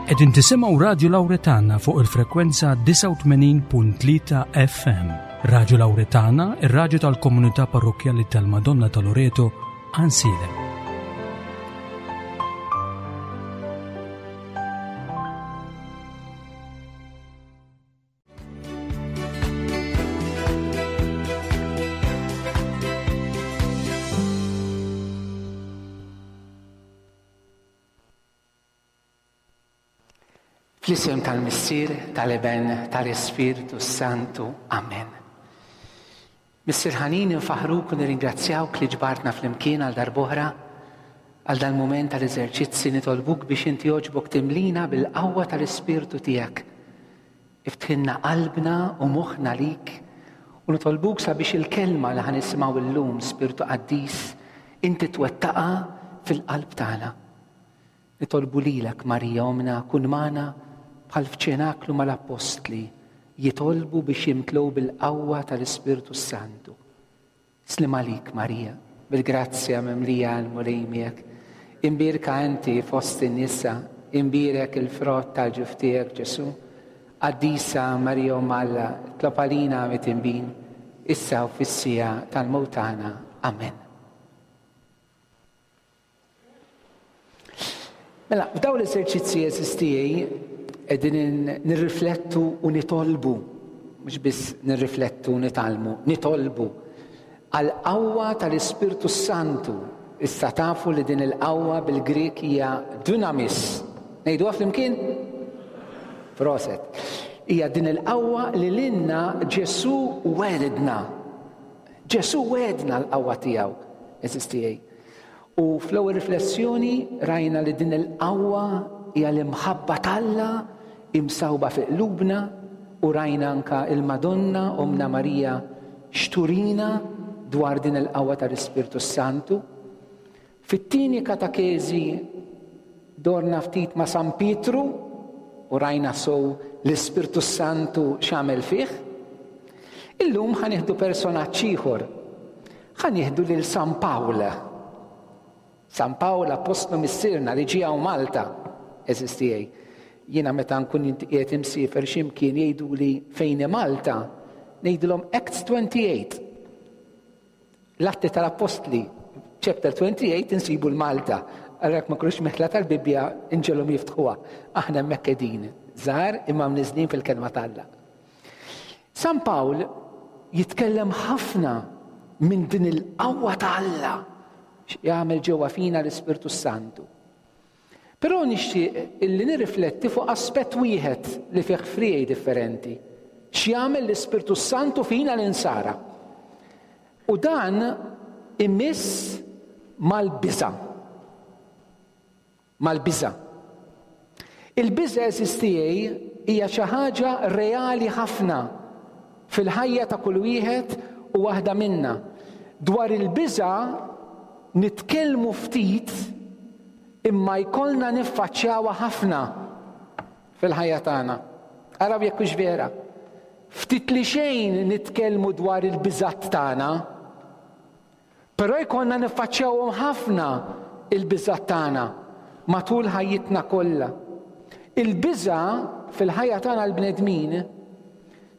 Qegħdin tisimgħu Radju Lawretana fuq il-frekwenza 89.3 FM. Radju Lawretana, ir-radju tal-komunità parrokkjali tal-Madonna ta' Loreto, Għansielem. Fl-isem tal-Missier, tal-Iben, tal-Ispirtu Santu. Amen. Missier ħanin infaħruk u nirringrazzjawk li ġbartna flimkien għal darb'oħra għal dal-mument tal-eżerċizzi nitolbuk biex inti għoġbok timlina bil-qawwa tal-Ispirtu tiegħek. Iftħilna qalbna u moħħna lik u nitolbuk sabiex il-kelma li ħa nisimgħu llum, Spirtu Qaddis, inti twettaqha fil-qalb tagħna. Nitolbu lilek, Marija Ommna, kun magħna bħal f'ċenaklu mal-appostli jitolbu biex jimtlew bil-qawwa tal-Ispirtu s-Santu. Sliem għalik, Marija, bil-grazzja mimlija l-Mulej miegħek. Imbierka inti fost in-nisa, imbierek il-frott tal-ġuf tiegħek, Ġesù. Qaddisa Marija Omm Alla, itlob għalina midinbin, issa u fis-siegħa tal-mewt tagħna. Amen. Mela, f'dawn l-eżerċizzji għeżież tiegħi qegħdin nirriflettu u nitolbu, mhux biss nirriflettu u nitgħallmu, nitolbu għall-qawwa tal-Ispirtu s-Santu. Issa tafu li din il-qawwa bil-Grieg hija dunamis. Ngħiduha flimkien? Proset. Hija din il-qawwa li lilna Ġesù wegħedna. Ġesù wegħedna l-qawwa tiegħu, għeżież tiegħi. U fl-ewwel riflessjoni rajna li din il-qawwa hija l-imħabba t'Alla imsawba fi qlubna u rajna anka il-Madonna Ommna Marija x'turina dwar din il-qawwa tal-Ispirtu s-Santu. Fit-tieni katakezi dorna ftit ma' San Pietru u rajna sew l-Ispirtu s-Santu x'għamel fih. Illum ħa nieħdu personaġġ ieħor. Ħa nieħdu lil San Pawl. San Pawl appostlu missierna li ġie hawn Malta, għeżież tiegħi. Jiena meta nkun qiegħed imsiefer xi mkien jgħiduli fejn hi Malta, ngħidilhom Acts 28. L-Atti tal-Appostli, chapter 28 insibu l-Malta. Allura jekk ma jkunux meħla tal-Bibbja inġelhom jiftħuha. Aħna hemmhekk qegħdin, żgħar imma mniżżlin fil-kelma t'Alla. San Pawl jitkellem ħafna minn din il-qawwa ta' Alla x'jagħmel ġewwa fina l-Ispirtu Santu. Però nixtieq illi nirrifletti fuq aspett wieħed li fih friegħi differenti. X'jagħmel l-Ispirtu Santu fina l-insara. U dan imiss mal-biża'. Mal-biża'. Il-biża' għeżież tiegħi hija xi ħaġa reali ħafna fil-ħajja ta' kull wieħed u waħda minna. Dwar il-biża' nitkellmu ftit imma jkollna niffaċċjawha ħafna fil-ħajja tagħna. Araw jekk hux vera. Ftit li xejn nitkellmu dwar il-biżgħat tagħna. Però jkollna niffaċċjawhom ħafna il-biżgħat tagħna matul ħajjitna kollha. Il-biża' fil-ħajja tagħna l-bnedmin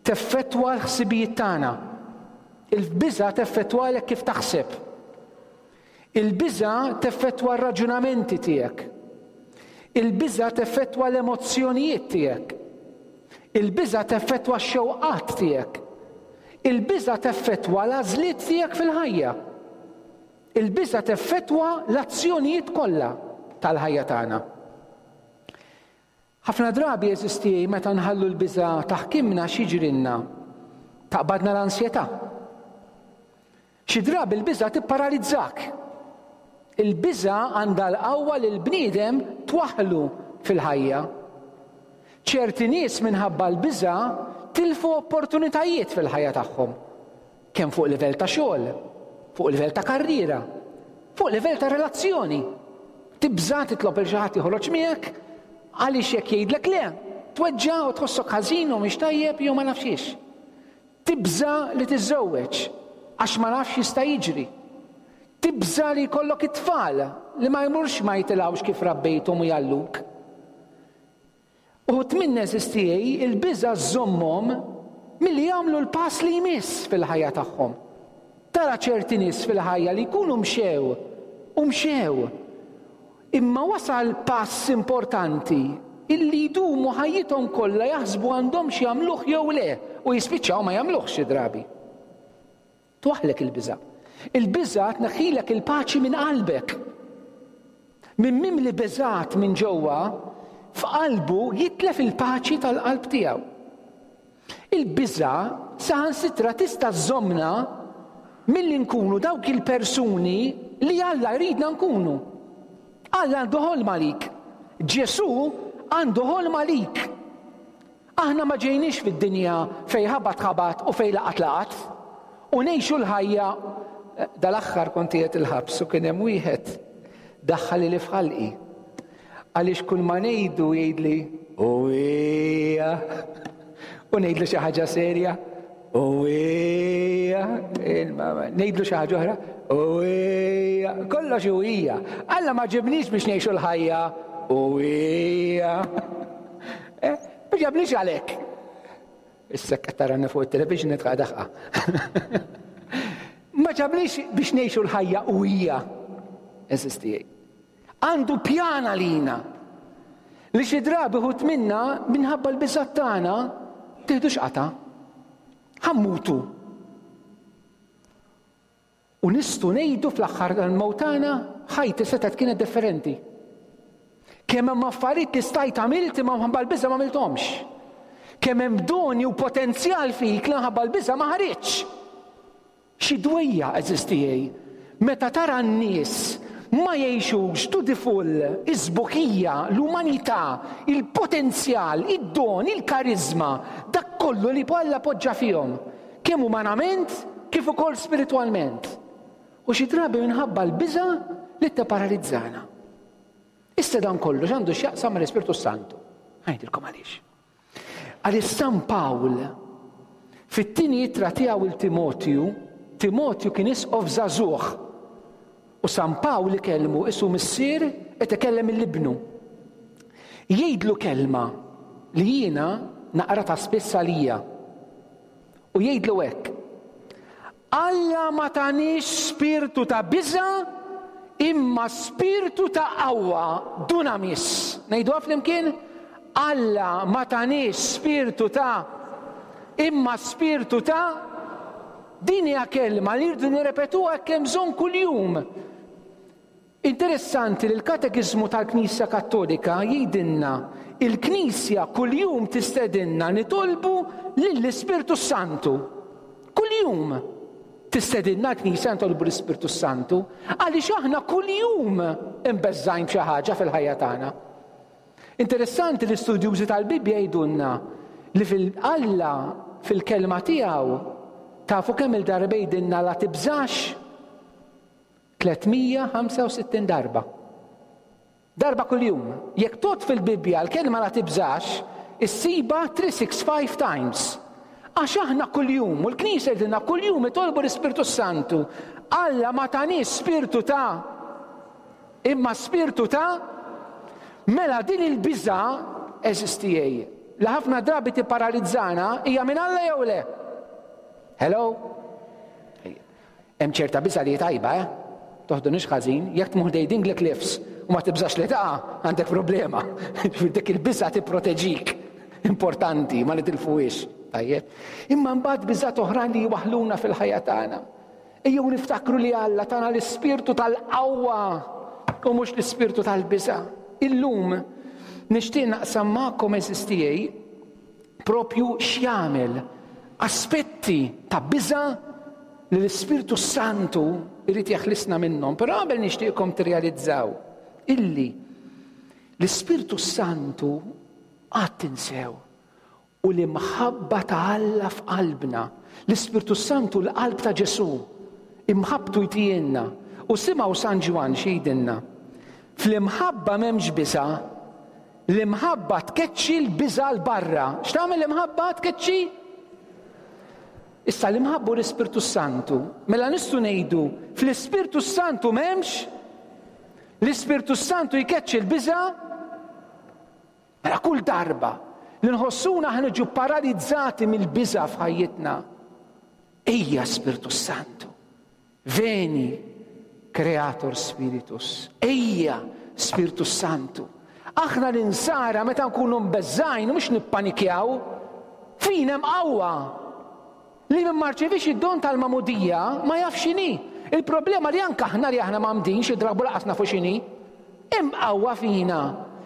teffettwa l-ħsibijiet tagħna. Il-biża' teffettwalek kif taħseb. Il-biża' teffettwa r-raġunamenti tiegħek. Il-biża' teffettwa l-emozzjonijiet tiegħek. Il-biża' teffettwa x-xewqat tiegħek. Il-biża' teffettwa l-għażliet tiegħek fil-ħajja. Il-biża' teffettwa l-azzjonijiet kollha tal-ħajja tagħna. Ħafna drabi, għeżież tiegħi, meta nħallu l-biża' taħkimna x'jiġrilna? Taqbadna l-ansjetà. Xi drabi l-biża' tipparalizzak. Il-biża' għandha l-qawwa li l-bniedem twaħħlu fil-ħajja. Ċerti nies minħabba l-biża' tilfu opportunitajiet fil-ħajja tagħhom, kemm fuq livell ta' xogħol, fuq livell ta' karriera, fuq livell ta' relazzjoni. Tibża' titlob lil xi ħadd joħroġ miegħek għaliex jekk jgħidlek le, tweġġa' u tħossok ħażin u mhix tajjeb jew ma nafx xiex. Tibża' li tiżżewweġ għax ma nafx x'jista' jiġri. Tibża' li jkollok it-tfal li ma jmurx ma jitilgħux kif rabbejthom u jgħalluk. Uħud minna għeżież tiegħi il-biża' żżommhom milli jagħmlu l-pass li jmiss fil-ħajja tagħhom. Tara ċerti nies fil-ħajja li jkunu mxew u mxew imma wasal pass importanti illi jdumu ħajjithom kollha jaħsbu għandhomx jagħmluh jew le u jispiċċaw ma jagħmluhx xi drabi. Twaħħlek il-biża'. Il-biża' tneħħilek il-paċi minn qalbek. Min mimli beżgħat minn ġewwa, f'qalbu jitlef il-paċi tal-qalb tiegħu. Il-biża' saħansitra tista' żżommna milli nkunu dawk il-persuni li Alla jridna nkunu. Alla għandu ħolma għalik. Ġesù għandu ħolma għalik. Aħna ma ġejniex fid-dinja fejn ħabat ħabat u fejn laqat laqat u ngħixu l-ħajja Dal-aħħar kont qiegħed il-ħabs u kien hemm wieħed daħħal ili f'ħalqi. Għaliex kull ma ngħidu jgħidli u hija u ngħidlu xi ħaġa serja u hija ngħidlu xi ħaġa oħra u hija kollox u hija. Alla ma ġibniex biex ngħixu l-ħajja u hija. Eh, ma ġablix għalhekk. Issa qed tarani fuq it-television nitqa' daħqa. Ma ġablix biex ngħixu l-ħajja u hija eżisti. Għandu pjan għalina. Li xi drabi ħut minna minħabba l-biżgħat tagħna tieħdux qata. Ħammutu. U nistgħu ngħidu fl-aħħar tal-mewt tagħna, ħajti setgħet kienet differenti. Kemm hemm affarijiet li stajt għamilt imma mħabba l-biża' ma għamilthomx. Kemm hemm doni u potenzjal fik li mħabba l-biża' ma ħariġx. Xi dwejjaq, għeżież tiegħi, meta tara n-nies ma jgħixux to the full is-sbuħija, l-umanità, il-potenzjal, id-don, il-kariżma, dak kollu li Alla poġġa fihom. Kemm umanament kif ukoll spiritwalment. U xi drabi minħabba l-biża' li tipparalizzana. Issa dan kollu x'għandu x'jaqsam mal-Ispirtu Santu? Ngħidilkom għaliex. Għaliex San Pawl fit-tieni ittra tiegħu il Timotju, Timotju kien isqof żagħżugħ. U San Pawl ikellmu isu missier qed ikellem il-ibnu. Jgħidlu kelma li jiena naqra ta' spiss għalija. U jgħidlu hekk, Alla ma taniex spirtu ta' biża' imma spirtu ta' qawwa, dunamis. Ngħiduha flimkien? Alla ma taniex spirtu ta' imma spirtu ta' Din hija kelma li rridu nirrepetuha hekk hemm bżonn kuljum. Interessanti li l-Katekiżmu tal-Knisja Kattolika jgħidilna il-Knisja kuljum tistedinna nitolbu lill-Ispirtu s-Santu. Kuljum tistedinna l-Knisja nitolbu l-Ispirtu s-Santu għaliex aħna kuljum imbeżżgħin b'xi ħaġa fil-ħajja tagħna. Interessanti li studjużi tal-Bibbja jgħidulna li fil-Alla fil-kelma tiegħu tafu kemm il-darba jgħidilna la tibżax 365 darba. Darba kuljum. Jekk tgħodd fil-Bibbja l-kelma la tibżax, issibha 365 times. Għax aħna kuljum, u l-Knisja jgħidilna kuljum itolbu l-Ispirtu Santu. Alla ma taniex spirtu ta' imma spirtu ta' mela din il-biża' eżistijej li ħafna drabi tipparalizzana hija minn Alla jew le? Hello? Hemm ċerta biża' li hi tajba, eh? Toħdunix ħażin, jekk tmur ħdej Dingley Cliffs u ma tibżax li taqa', għandek problema. Ġifieri dik il-biża' tipproteġik. Importanti, ma nitilfuhiex. Tajjeb. Imma mbagħad biżgħat oħrajn li jwaħħluna fil-ħajja tagħna. Ejjew niftakru li Alla tana l-ispirtu tal-qawwa u mhux l-ispirtu tal-biża'. Illum nixtieq naqsam magħkom għeżież tiegħi propju x'jagħmel aspetti ta' biża' li l-Ispirtu s-Santu jrid jeħlisna minnhom. Però qabel nixtieqkom tirrealizzaw illi l-Ispirtu s-Santu qatt tinsew u l-imħabba ta' Alla f'qalbna. L-Ispirtu s-Santu l-qalb ta' Ġesù. Imħabbtu jtijielna. U simgħu San Ġwann x'jgħidilna. Fl-imħabba m'hemmx biża', L-imħabba tkeċċi l-biża' 'l barra. X'tagħmel l-imħabba? Tkeċċi? Issa l-imħabba u l-Ispirtu Santu. Mela nistgħu ngħidu fl-Ispirtu Santu m'hemmx? L-Ispirtu Santu jkeċċi l-biża'? Mela kull darba li nħossuna ħa niġu paralizzati mill-biża' f'ħajjitna, ejja Spirtu Santu, veni Creator Spiritus, ejja Spirtu Santu. Aħna l-insara meta nkunu mbeżżgħin mhux nippanikjaw, fina hemm qawwa Li min ma rċeviex id-don tal-magħmudija ma jafx x'inhi. Il-problema li anke aħna li aħna mgħammdin xi drabi lanqas nafu x'inhi. Hemm qawwa fina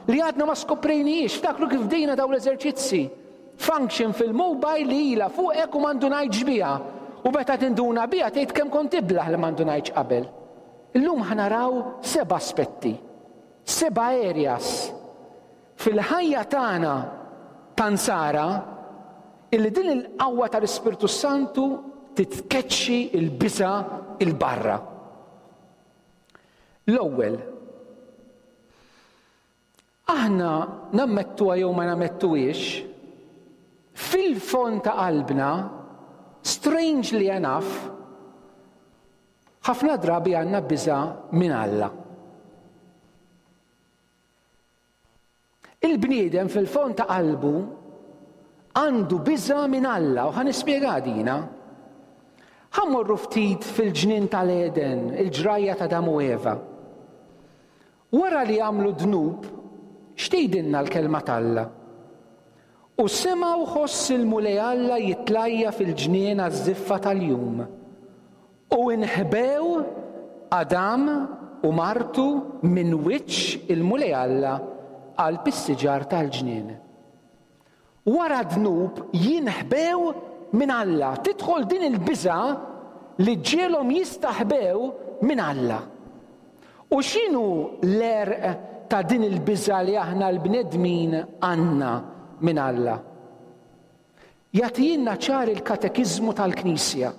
li għadna ma skoprejnihiex. Ftakru kif bdejna dawn l-eżerċizzi. Function fil-mobile li ilha fuqek u ma ndunajtx biha. U meta tinduna biha tgħid kemm kont iblah li ma ndunajtx qabel. Illum ħa naraw seba' aspetti, seba' areas fil-ħajja tagħna ta' Nsara illi din il-qawwa tal-Ispirtu s-Santu titkeċċi l-biża' 'il barra. L-ewwel, aħna nammettuha jew ma nammettuhiex, fil-fond ta' qalbna, strangely enough, ħafna drabi għandna biża' minn Alla. Il-bniedem fil-fond ta' qalbu għandu biża' minn Alla u ħa nispjega dina. Ħa mmorru ftit fil-ġnien tal-Eden, il-ġrajja ta' Adam u Eva. Wara li għamlu dnub, x'tgħidilna l-kelma t'Alla? U semgħu ħoss il-Mulej Alla jitlajja fil-ġnien għaż-żiffa tal-jum. U inħbew Adam u martu minn wiċċ il-Mulej Alla qalb is-siġar tal-ġnien. Wara d-dnub jinħbew minn Alla. Tidħol din il-biża' li ġġiegħlhom jistaħbew minn Alla. U x'inhu l-għerq ta' din il-biża' li aħna l-bnedmin għandna minn Alla? Jagħtihielna ċar il-Katekiżmu tal-Knisja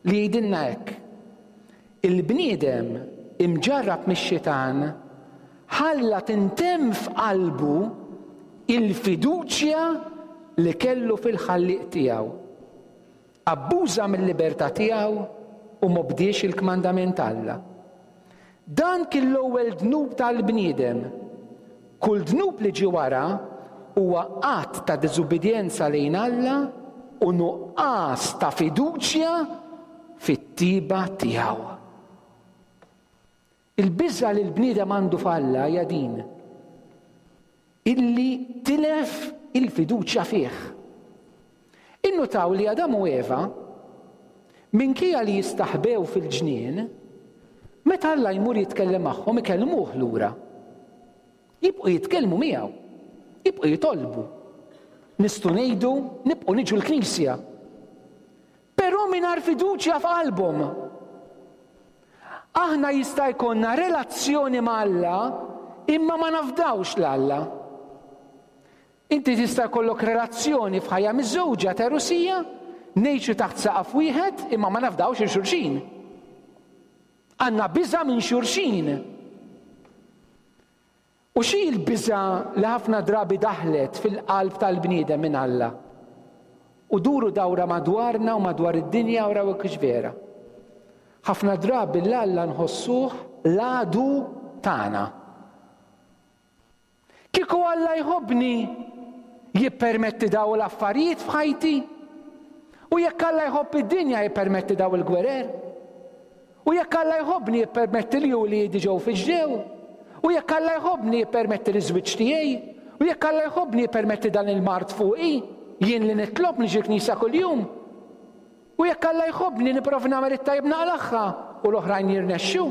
li jgħidilna hekk, Il-bniedem imġarrab mix-xitan ħalla tintemm f'qalbu il-fiduċja li kellu fil-Ħallieq tiegħu. Abbuża mil-libertà tiegħu u m'obdiex il-kmandament t'Alla. Dan kien l-ewwel dnub tal-bniedem. Kull dnub li ġie wara huwa att ta' diżubbidjenza lejn Alla u nuqqas ta' fiduċja fit-tjieba tiegħu. Il-biża' li l-bniedem għandu f'Alla hija din, illi tilef il-fiduċja fih. Innutaw li Adam u Eva, minkejja li jistaħbew fil-ġnien, meta Alla jmur jitkellem magħhom ikellmuh lura. Jibqgħu jitkellmu miegħu. Jibqgħu jitolbu. Nistgħu ngħidu nibqgħu niġu l-knisja. Però mingħajr fiduċja f'qalbhom. Aħna jista' jkollna relazzjoni ma' Alla imma ma nafdawx 'l Alla. Inti tista' jkollok relazzjoni f'ħajja miżżewġa ta' Rusija, ngħixu taħt saqaf wieħed imma ma nafdawx il xulxin. Għandna biża' minn xulxin. U xi l-biża' li ħafna drabi daħlet fil-qalb tal-bniedem minn Alla? U duru dawra madwarna u madwar id-dinja u raw hekk vera. Ħafna drabi 'l Alla nħossuh l-għadu tagħna. Kieku Alla jħobbni, jippermetti daw l-affarijiet f'ħajti? U jekk Alla jħobb id-dinja jippermetti daw il-gwerer? U jekk Alla jħobbni jippermetti li uliedi ġew fi ġdew? U jekk Alla jħobbni jippermetti li żwieġ tiegħi? U jekk Alla jħobbni jippermetti dan il-mard fuqi? Jien li nitlob niġi l-knisja kuljum? U jekk Alla jħobbni nipprova nagħmel it-tajjeb naqlagħha u l-oħrajn jirnexxu?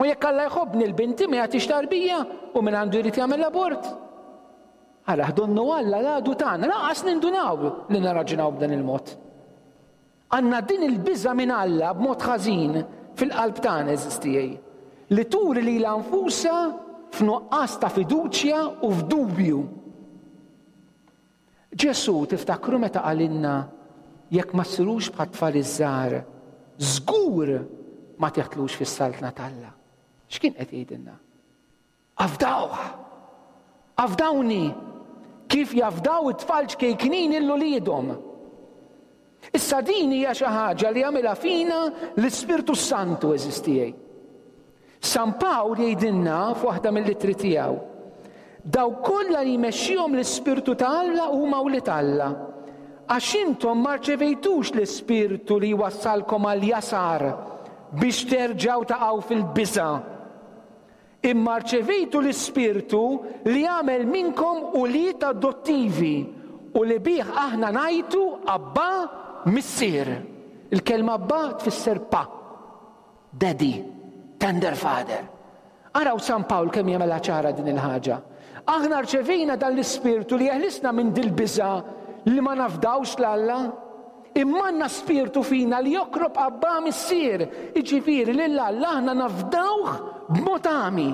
U jekk Alla jħobbni l-binti ma jagħtix tarbija u min għandu jrid jagħmel l-abort? Ara donnu Alla l-għadu tagħna, lanqas nindunaw li nirraġunaw b'dan il-mod. Għandna din il-biża' minn Alla b'mod ħażin fil-qalb tagħna għeżież tiegħi, li turi lilha nfusha f'nuqqas ta' fiduċja u f'dubju. Ġesù tiftakru meta qalilna jekk ma ssirux bħat-tfal iż-żgħar, żgur ma tidħlux fis-saltna t'Alla. X'kien qed jgħidilna? Afdawh! Afdawni! Kif jafdaw it-tfal ċkejknin lil uliedhom. Issa din hija xi ħaġa li jagħmilha fina l-Ispirtu s-Santu għeżież tiegħi. San Pawl jgħidilna f'waħda mill-ittri tiegħu. Dawk kollha li jmexxihom l-Ispirtu ta' Alla huma wlied Alla. Għax intom ma rċevejtux l-ispirtu li jwassalkom għall-jasar biex terġgħu taqgħu fil-biża', imma rċevejtu l-Ispirtu li jagħmel minnkom ulied adottivi u li bih aħna ngħajtu, Abbà, Missier. Il-kelma Abbà tfisser pa. Daddy, tender father. Araw San Pawl kemm jagħmilha ċara din il-ħaġa. Aħna rċevejna dan l-ispirtu li jeħlisna minn dil-biża' li ma nafdawx 'l Alla. Imma għandna spirtu fina li jokrob Abbà Missier, jiġifieri lil Alla aħna nafdawh b'mod għami,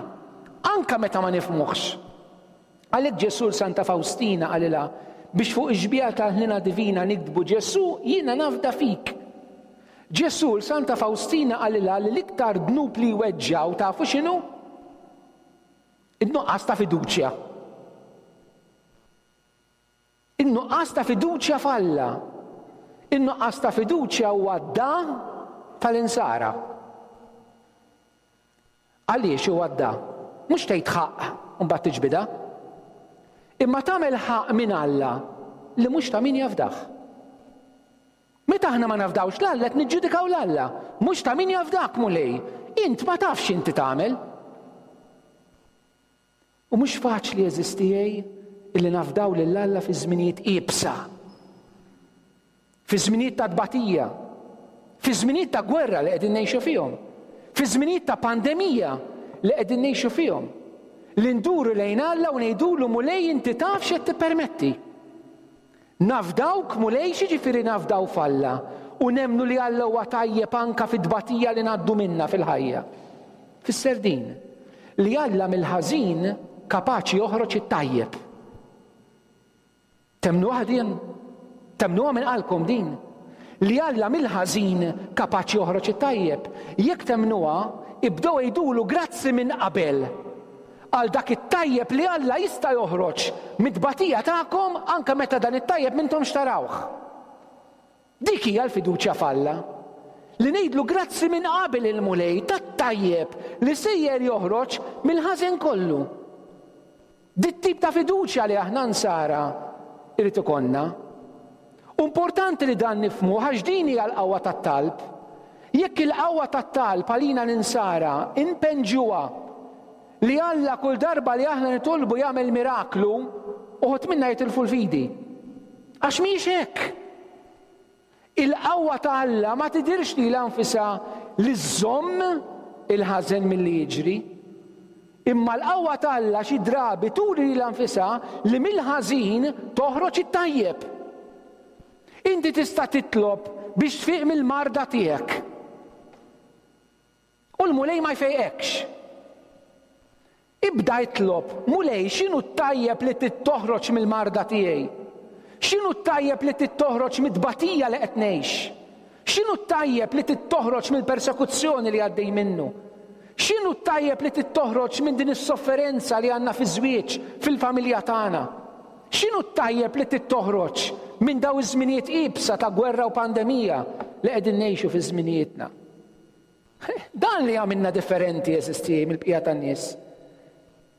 anke meta ma nifhmuhx. Għalhekk Ġesù 'l Santa Fawstina qalilha biex fuq ix-xbieha tal-ħniena divina niktbu Ġesù jiena nafda fik. Ġesù 'l Santa Fawstina qalilha li l-iktar dnub li jweġġgħu tafu x'inhu? In-nuqqas ta' fiduċja. In-nuqqas ta' fiduċja f'Alla. In-nuqqas ta' fiduċja huwa d-da tal-insara. Għaliex huwa d-da? Mhux tgħid ħaqq u mbagħad tiġbidha. Imma tagħmel ħaqq minn Alla li mhux ta' min jafdah. Meta aħna ma nafdawx 'l Alla qed niġġudikaw 'l Alla. Mhux ta' min jafdak, Mulej. Int ma tafx x'inti tagħmel. U mhux faċli għeżież tiegħi illi nafdaw lil Alla fi żminijiet iebsa. Fi żminijiet ta' tbatija, fi żminijiet ta' gwerra li qegħdin ngħixu fihom, fi żminijiet ta' pandemija li qegħdin ngħixu fihom. Li nduru lejn Alla u ngħidulu Mulej inti taf x'qed tippermetti. Nafdawk Mulej x'jiġifieri nafdaw f'Alla u nemmnu li Alla huwa tajjeb anka fit-tbatija li ngħaddu minnha fil-ħajja. Tfisser din, li Alla mill-ħażin kapaċi joħroġ it-tajjeb. Temmnuha din? Temmnuha minn qalbkom din? Li Alla mill-ħażin kapaċi joħroġ it-tajjeb. Jekk temmnuha, ibdew għidulu grazzi minn qabel għal dak it-tajjeb li Alla jista' joħroġ mit-tbatija tagħkom anke meta dan it-tajjeb m'intomx tarawh. Dik hija l-fiduċja f'Alla. Li ngħidlu grazzi minn qabel il-Mulej tat-tajjeb li sejjer joħroġ mill-ħażen kollu. Dit-tip ta' fiduċja li aħna nsara irid ikollna. U importanti li dan nifhmuh għax din hija l-qawwa tat-talb. Jekk il-qawwa tat-talb għalina l-insara npenġuha li Alla kull darba li aħna nitolbu jagħmel miraklu, uħud minna jitilfu l-fidi. Għax mhijiex hekk. Il-qawwa ta' Alla ma tidhirx lilha nfisha li żżomm il-ħażen milli jiġri. Imma l-qawwa ta' Alla xi drabi turi lilha nfisha li mill-ħażin toħroġ it-tajjeb. Inti tista' titlob biex tfiq mill-marda tiegħek. U l-Mulej ma jfejqekx. Ibda itlob, Mulej, x'inhu t-tajjeb li trid toħroġ mill-marda tiegħi? X'inhu t-tajjeb li trid toħroġ mit-tbatija li qed ngħix? X'inhu t-tajjeb li trid toħroġ mill-persekuzzjoni li għaddej minnu? X'inhu t-tajjeb li trid toħroġ minn din is-sofferenza li għandna fiż-żwieġ, fil-familja tagħna? X'inhu t-tajjeb li trid toħroġ minn dawn iż-żminijiet iebsa ta' gwerra u pandemija li qegħdin ngħixu fi żminijietna? Dan li jagħmilna differenti, għeżież tiegħi, mill-bqija tan-nies.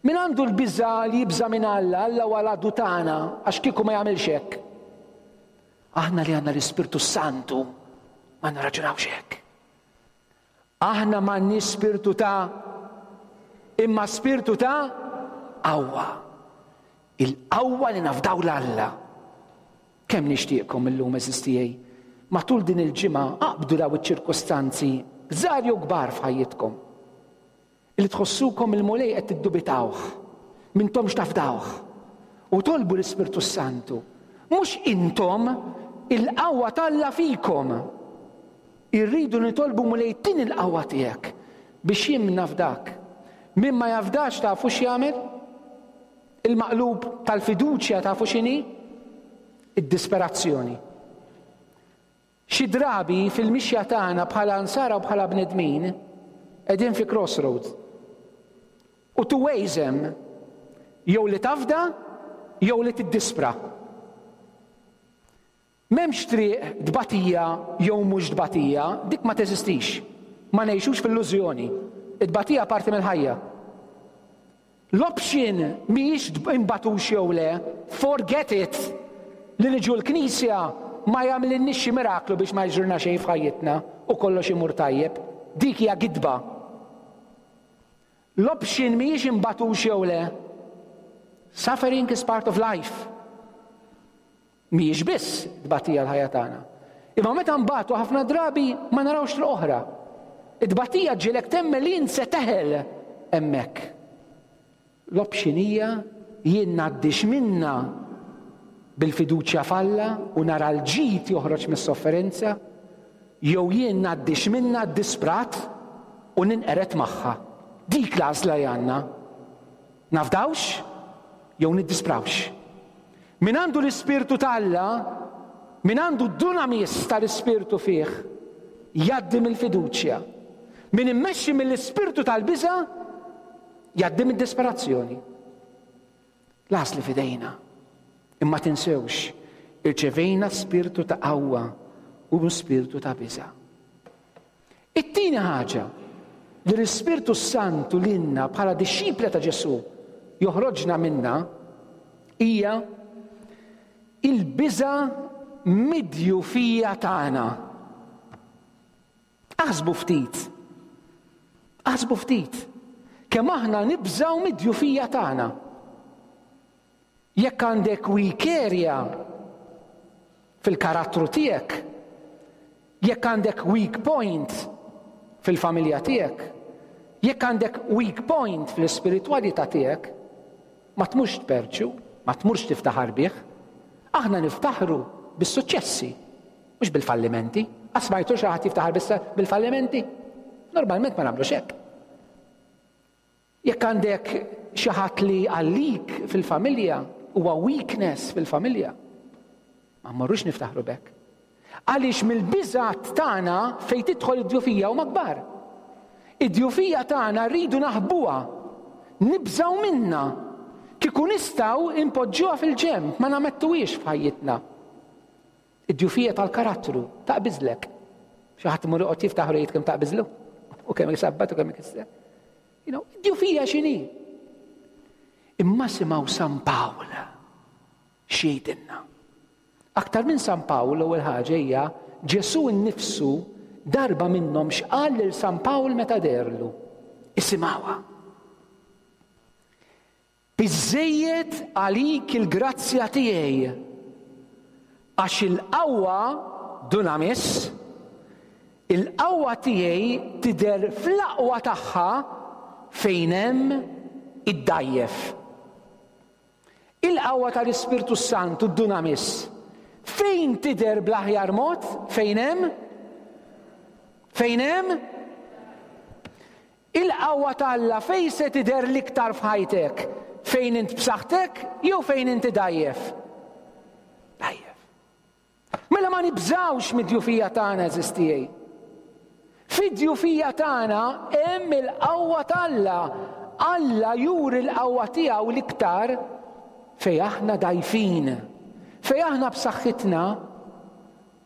Min għandu l-biża' li jibża' minn Alla, Alla huwa l-għadu tagħna għax kieku ma jagħmilx hekk. Aħna li għandna l-Ispirtu Santu ma nirraġunawx hekk. Aħna m'għandniex spirtu ta' imma spirtu ta' qawwa. Il-qawwa li nafdaw 'l Alla. Kemm nixtieqkom illum għeżież tiegħi, matul din il-ġimgħa aqbdu daw iċ-ċirkustanzi, żgħar jew kbar f'ħajjitkom, li tħossukom il-Mulej qed tiddubitawh, m'intomx tafdawh, u tolbu l-Ispirtu s-Santu. Mhux intom, il-qawwa t'Alla fikom. Irridu nitolbu Mulej tini l-qawwa tiegħek biex jien nafdak. Min ma jafdax tafu x'jagħmel? Il-maqlub tal-fiduċja tafu x'inhi? Id-disperazzjoni. Xi drabi fil-mixja tagħna bħala nsara u bħala bnedmin qegħdin fi crossroads. U two ways hemm, jew li tafda jew li tiddispra. M'hemmx triq tbatija jew mhux tbatija, dik ma teżistix. Ma ngħixux f'illużjoni. It-tbatija parti mill-ħajja. L-option mhijiex inbatux jew le, forget it! Li niġu l-knisja ma jagħmlilniex xi miraklu biex ma jiġrilna xejn f'ħajjitna u kollox imur tajjeb. Dik hija gidba. L-option mhijiex inbatux jew le. Suffering is part of life. Mhijiex biss tbatija l-ħajja tagħna. Imma meta nbatu ħafna drabi ma narawx triq oħra. It-tbatija ġġielek temmen li int se teħel hemmhekk. L-option hija jien ngħaddix minnha bil-fiduċja f'Alla u nara l-ġid joħroġ mis-sofferenza, jew jien ngħaddix minnha ddisprat u ninqered magħha. Dik l-għażla li għandna. Nafdawx jew niddisprawx. Min għandu l-Ispirtu ta' Alla, min għandu d-dunamis tal-Ispirtu fih, jgħaddi mill-fiduċja. Min immexxi mill-ispirtu tal-biża' jgħaddi mid-disperazzjoni. L-għażla f'idejna. Imma tinsewx, irċevejna spirtu ta' qawwa u mhux spirtu ta' biża'. It-tieni ħaġa li l-Ispirtu s-Santu lilna bħala dixxipli ta' Ġesù joħroġna minnha hija il-biża' mid-djufija tagħna. Aħsbu ftit. Aħsbu ftit. Kemm aħna nibżgħu mid-djufija tagħna. Jekk għandek weak area fil-karattru tiegħek, jekk għandek weak point fil-familja tiegħek, jekk għandek weak point fl-ispiritwalità tiegħek, ma tmurx tperċu, ma tmurx tiftaħar bih. Aħna niftaħru bis-suċċessi, mhux bil-fallimenti. Qatt smajtu xi ħadd jiftaħar bil-fallimenti? Normalment ma nagħmlux hekk. Jekk għandek xi ħadd li għalik fil-familja huwa weakness fil-familja, ma mmorrux niftaħru b'hekk. Għaliex mill-biżgħat tagħna fejn tidħol id-djufija huma kbar. Id-djufija tagħna rridu naħbuha, nibżgħu minnha. Kieku nistgħu inpoġġuha fil-ġenb, ma namettuhiex f'ħajjitna. Id-djufija tal-karattru taqbiżlek. Xi ħadd imur joqgħod jiftaħ u jgħid kemm taqbiżlu u kemm isabbat u kemm ikisser. You know, id-djufija x'inhi? Imma simgħu San Pawl x'jgħidilna. Aktar minn San Pawl l-ewwel ħaġa hija Ġesù nnifsu darba minnhom x'qal lil San Pawl meta deherlu. Isimgħuha. Biżżejjed għalik il-grazzja tiegħi, għax il-qawwa, dunamis, il-qawwa tiegħi tidher fl-aqwa tagħha fejn hemm id-dgħajjef. Il-qawwa tal-Ispirtu s-Santu, dunamis, fejn tidher bl-aħjar mod? Fejn hemm? Fejn hemm? Il-qawwa ta' Alla fejn se tidher l-iktar f'ħajtek? Fejn int b'saħħtek jew fejn inti dgħajjef? Dgħajjef. Mela ma nibżgħux mid-djufija tagħna għeżież tiegħi. Fid-djufija tagħna hemm il-qawwa ta' Alla. Alla juri l-qawwa tiegħu l-iktar fejn aħna dgħajfin. Fejn aħna b'saħħitna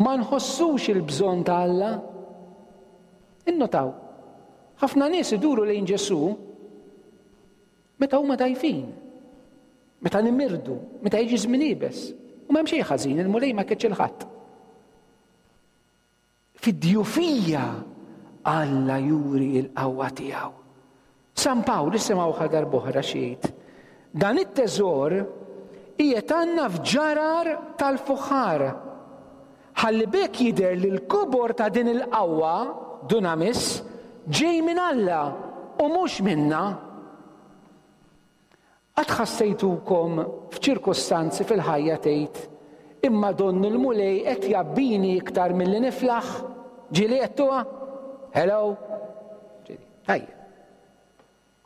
ma nħossux il-bżonn ta' Alla. Innotaw, ħafna nies iduru lejn Ġesù meta huma dgħajfin, meta nimirdu, meta jiġi żmien iebes. U m'hemm xejn ħażin, il-Mulej ma jkeċċi l-ħadd. Fid-djufija Alla juri l-qawwa tiegħu. San Pawl, isimgħu għal darb'oħra x'jgħid. Dan it-teżor qiegħed għandna f'ġarar tal-fuħħar, ħalli b'hekk jidher li l-kobor ta' din il-qawwa, dunamis, ġej minn Alla u mhux minna. Qatt ħassejtukom f'ċirkustanzi fil-ħajja tgħid, Imma donnu l-Mulej qed jgħabbini iktar milli niflaħ? Ġieli għedtuha? Hello? Ġieli. Tajjeb.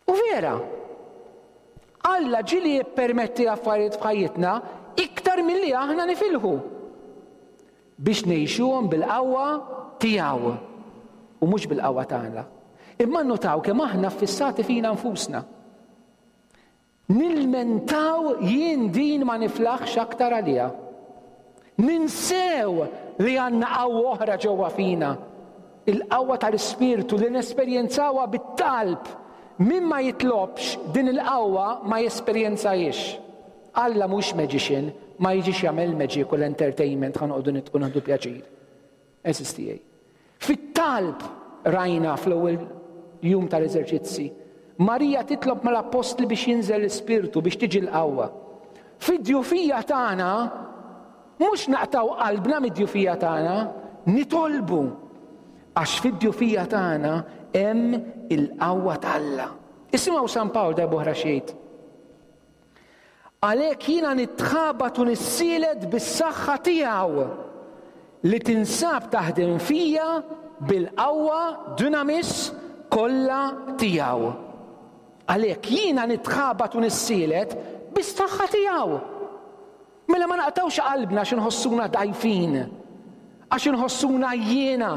U vera, Alla ġieli jippermetti affarijiet f'ħajjitna iktar milli aħna nifilħu biex ngħixuhom bil-qawwa tiegħu u mhux bil-qawwa tagħna. Imma nnotaw kemm aħna ffissati fina nfusna. Nilmentaw jien din ma niflaħx aktar għaliha. Ninsew li għandna qawwa oħra ġewwa fina, il-qawwa tal-Ispirtu li nesperjenzawha bit-talb. Min ma jitlobx din il-qawwa ma jesperjenzahiex. Alla mhux magician, ma jiġix jagħmel magic u l-entertainment ħa noqogħdu nidħku nieħdu pjaċir. Għeżież tiegħi. Fit-talb rajna fl-ewwel jum tal-eżerċizzi, Marija titlob mal-appostli biex jinżel l-Ispirtu biex tiġi l-qawwa. Fid-djufija tagħna mhux naqtgħu qalbna mid-djufija tagħna, nitolbu għax fid-djufija tagħna hemm il-qawwa t'Alla. Isimgħu San Pawl darb'oħra x'jgħid. Għalhekk jiena nitħabat u nissielet bis-saħħa tiegħu li tinsab taħdem fija bil-qawwa, dunamis, kollha tiegħu. Għalhekk jiena nitħabat u nissielet bis-saħħa tiegħu. Mela ma naqtgħux qalbna għax inħossuna dgħajfin, għax inħossuna għajjiena,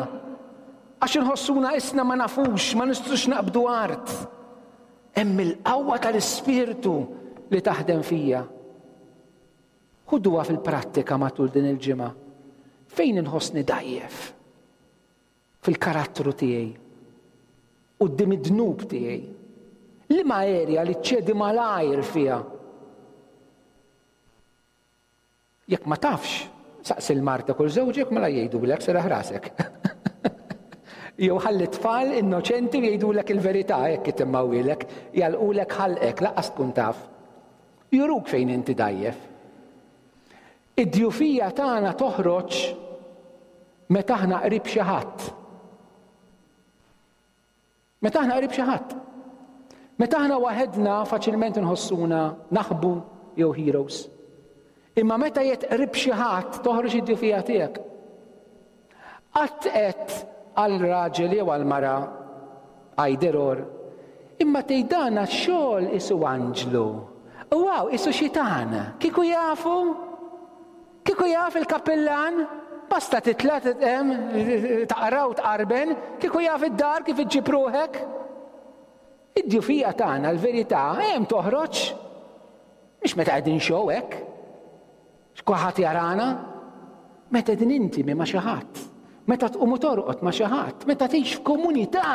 għax inħossuna isna ma nafux, ma nistgħux naqbdu art. Hemm il-qawwa tal-Ispirtu li taħdem fija. Ħuduha fil-prattika matul din il-ġimgħa. Fejn inħossni dgħajjef? Fil-karattru tiegħi. Quddiem id-dnub tiegħi. Liema erja li ċċedi malajr fiha? Jekk ma tafx, saqsi 'l martek u 'l żewġek mela jgħidulek serraħ rasek. Jew ħalli t-tfal innoċenti u jgħidulek il-verità hekk itimmawilek, jagħlqulek ħalqek lanqas tkun taf. Juruk fejn inti dgħajjef. Id-djufija tagħna toħroġ meta aħna qrib xi ħadd. Meta aħna qrib xi ħadd. Meta aħna waħedna faċilment inħossuna naħbu jew heroes. Imma meta jett qrib xi ħadd toħroġ id-djufija tiegħek. Qatt qed għal raġel jew għal mara either or. Imma tgħid dan għax-xogħol isu anġlu. U hawn isu xitan. Kieku jafu? Kieku jaf il-kappillan, basta titla' taqra u tqarben, kieku jaf id-dar kif iġġib ruħek. Id-djufija tagħna l-verità hemm toħroġ. Mhix meta qegħdin show hekk. X'kulħadd jarana. Meta qegħdin intimi ma' xi ħadd. Meta tqum u torqod ma' xi ħadd, meta tgħix f'komunità,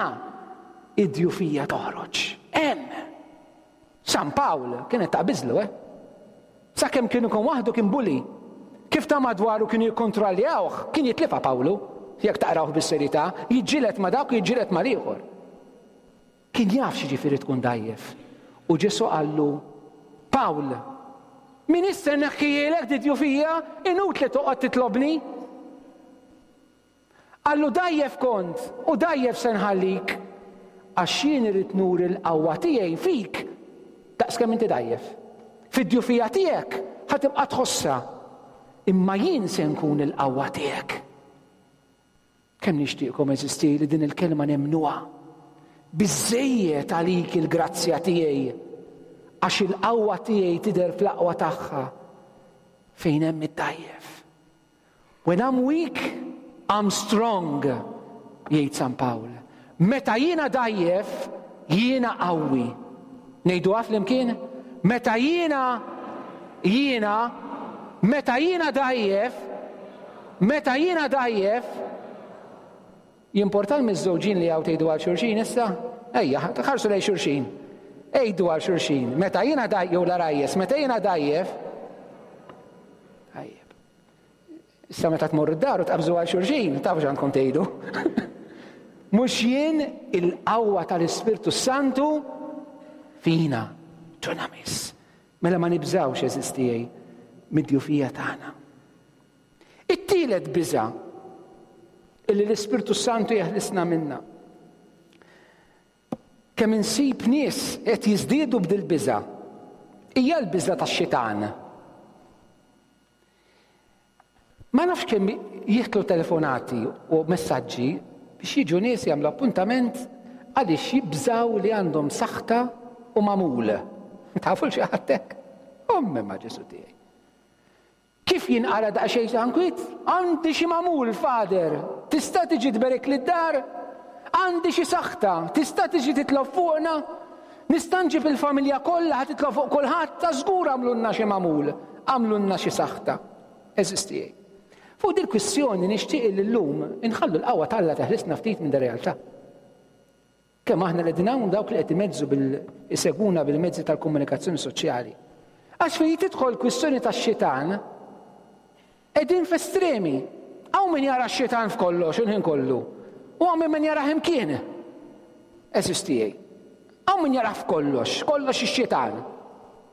id-djufija toħroġ. Hemm. San Pawl kienet taqbiżlu, eh? Sakemm kien ikun waħdu kien bully. Kif ta' madwaru kienu jikkontrolljawh, kien jitlifha Pawlu, jekk taqrawh bis-serjetà, jiġġieled ma' dak u jiġġieled mal-ieħor. Kien jaf x'jiġifieri tkun dgħajjef. U Ġesù qallu, Pawl, m'iniex se nneħħihielek di-djufija, inutli toqgħod titlobni. Qallu, Dgħajjef kont, u dgħajjef se nħallik, għax jien irrid nuri l-qawwa tiegħi fik daqskemm inti dgħajjef. Fid-djufija tiegħek ħa tibqa' tħossha, imma jien se nkun il-qawwa tiegħek. Kemm nixtieqkom, għeżież tiegħi, li din il-kelma nemmnuha. Biżżejjed għalik il-grazzja tiegħi, għax il-qawwa tiegħi tidher fl-aqwa tagħha fejn hemm id-dgħajjef. When I'm weak, I'm strong, jgħid San Pawl. Meta jiena dgħajjef, jiena qawwi. Ngħiduha flimkien? Meta jiena jiena meta jiena dgħajjef, meta jiena dgħajjef, Jimporta l-miżżewġin li hawn tgħidu għal xulxin issa? Ejja, ħarsu lejn xulxin. Għidu għal xulxin, meta jiena dgħajjef, jew l-għarajjes, meta jiena dgħajjef. Tajjeb. Issa meta tmorru d-dar u tqabżu għal xulxin, tafu x'għandkom tgħidu. Mhux jien il-qawwa tal-Ispirtu Santu fina, dunamis. Mela ma nibżgħux għeżież tiegħi mid-djufija tagħna. It-tielet biża' illi l-Ispirtu Santu jeħlisna minna. Kemm insib nies qed jiżdiedu b'dil-biża'. Hija l-biża' tax-xitan. Ma nafx kemm jieħdlu telefonati u messaġġi biex jiġu nies jagħmlu appuntament għaliex jibżgħu li għandhom saħta u magħmul. Tafu l xi ħadd hekk? Ommi ma' Ġesu tiegħi. Kif jinqala' daqsxejn ta' nkwiet? Għandi xi magħmul, Father, tista' tiġi tberikli d-dar? Għandi xi saħta, tista' tiġi titlob fuqna? Nista' nġib il-familja kollha ħa titlob fuq kulħadd? Ta' żgur għamlulna xi magħmul, għamlulna xi saħta. Għeżież tiegħi. Fuq dil-kwistjoni nixtieq li llum inħallu l-qawwa t'Alla teħlisna ftit minn dir-realtà. Kemm aħna li qegħdin hawn dawk li qed imezzu bil isegwuna bil-mezzi tal-komunikazzjoni soċjali. Għax fejn tidħol kwistjoni tax-xitan, qegħdin f'estremi. Hawn min jara x-xitan f'kollox il-ħin kollu. U hawn min jarah imkien. Għeżież tiegħi. Hawn min jarah f'kollox, kollox ix-xitan.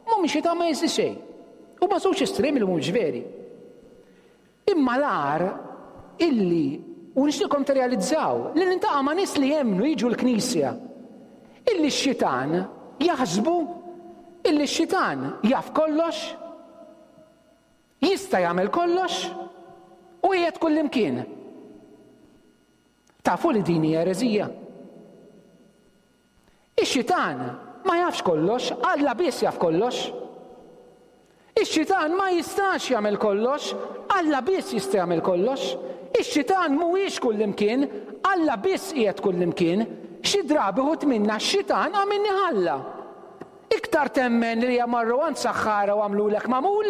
Mhum xitan ma jeżistix xejn. Huma żewġ estremi li mhumiex veri. Imma l-agħar illi, u nixtieqkom tirrealizzaw, li niltaqa' ma' nies li jemmnu jiġu l-knisja, illi x-xitan jaħsbu illi x-xitan jaf kollox, jista' jagħmel kollox u qiegħed kullimkien. Tafu li din hija ereżija? Ix-xitan ma jafx kollox, Alla biss jaf kollox. Ix-xitan ma jistax jagħmel kollox, Alla biss jista' jagħmel kollox. Ix-xitan mhuwiex kullimkien, Alla biss qiegħed kullimkien. Xi drabi wħud minna x-xitan għamilnih Alla. Iktar temmen li marru għand saħħara u għamlulek magħmul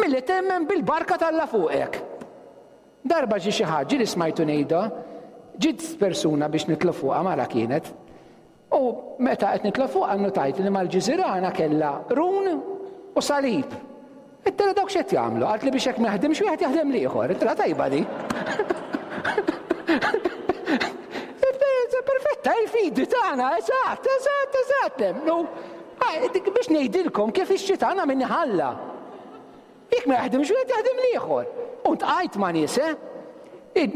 milli temmen bil-barka t'Alla fuqek. Darba ġie xi ħadd, ġieli smajtu ngħidha, ġiet persuna biex nitlob fuqha, mara kienet. U meta qed nitlob fuqha nnotajt li mal-ġiżirana kellha qrun u salib. Għedtilha dawk x'qed jagħmlu? Qaltli biex jekk ma jaħdimx wieħed jaħdem l-ieħor. Għedtilha tajba di. Perfetta, il-fidi tagħna, eżatt, eżatt, eżatt, nemmnu. Ah, biex ngħidilkom kif ix-xitan minni ħalla. Jekk ma jaħdimx wieħed jaħdem l-ieħor. U ntqajt ma' nies, eh?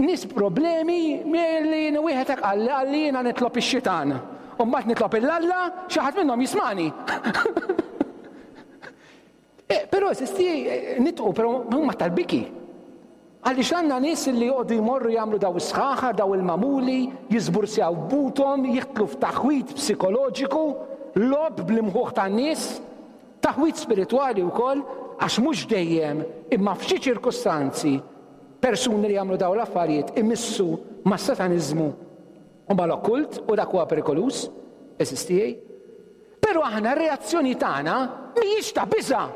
Nies problemi li wieħed hekk qalli qalli jiena nitlob ix-xitan. U mbagħad nitlob il-Alla, xi ħadd minnhom jismani. Eh, però eżisti eh, nitqu, però huma tal-biki. Għaliex għandna nies li joqogħdu jmorru jagħmlu daw is-sħaħar, daw il-mamuli, jiżbursjaw buthom, jidħlu f'taħwid psikoloġiku, logħob bl-imħuħ tan-nies. Taħwid spiritwali wkoll għax mhux dejjem imma f'xi ċirkustanzi persuni li jagħmlu dawn l-affarijiet imissu mas-sataniżmu u mal-okkult u dak huwa perikoluż, għeżież tiegħi. Però aħna r-reazzjoni tagħna mhijiex ta' biża'.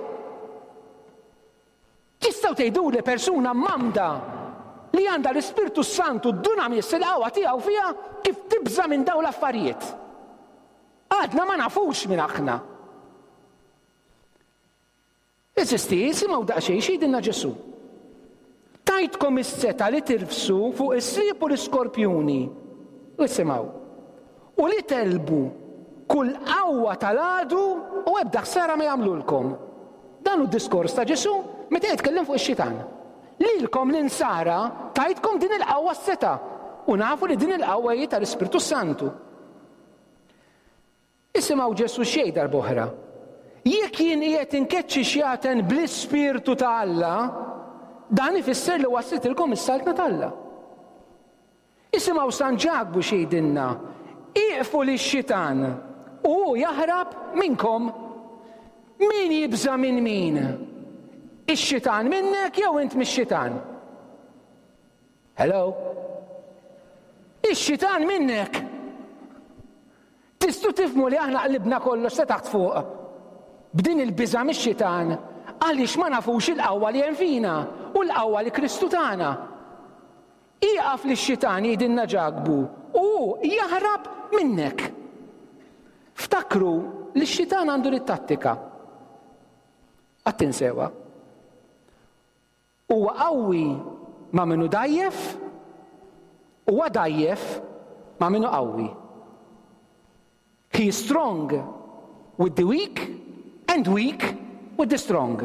Tistgħu tgħiduli persuna mgħammda li għandha l-Ispirtu s-Santu d-dunamis il-qawwa tiegħu fiha kif tibża' minn dawn l-affarijiet? Għadna ma nafux min aħna. Eżisti, isimgħu daqsxejn x'jgħidilna Ġesù. Tajtkom is-setgħa li tirfsu fuq is-sriep u l-iskorpjuni. Isimgħu. U li tegħlbu kull qawwa tal-għadu u ebda ħsara ma jagħmlulkom. Dan hu d-diskors ta' Ġesù meta jitkellem fuq ix-xitan. Lilkom l-insara tajtkom din il-qawwa s-setgħa u nafu li din il-qawwa hi tal-Ispirtu Santu. Isimgħu Ġesù x'jgħid darb'oħra. Jekk jien qiegħed inkeċċi xjaten bl-Ispirtu ta' Alla, dan ifisser li waslitilkom is-Saltna t'Alla. Isimgħu San Ġakbu x'jgħidilna, Ieqfu lix-xitan u hu jaħrab minnkom. Min jibża' minn min? Ix-xitan minnek jew int mix-xitan? Hello? Ix-xitan minnek! Tistgħu tifhmu li aħna qlibna kollox ta' taħt fuq b'din il-biża' mix-xitan għaliex ma nafux il-qawwa li hemm fina u l-qawwa li Kristu tana. Ieqaf lix-xitan jgħidilna Ġakbu u hu jaħrab minnek. Ftakru li x-xitan għandu lit-tattika. Qatt tinsewha. Huwa qawwi ma' min hu dgħajjef, huwa dgħajjef ma' min hu qawwi. He is strong with the weak and weak with the strong.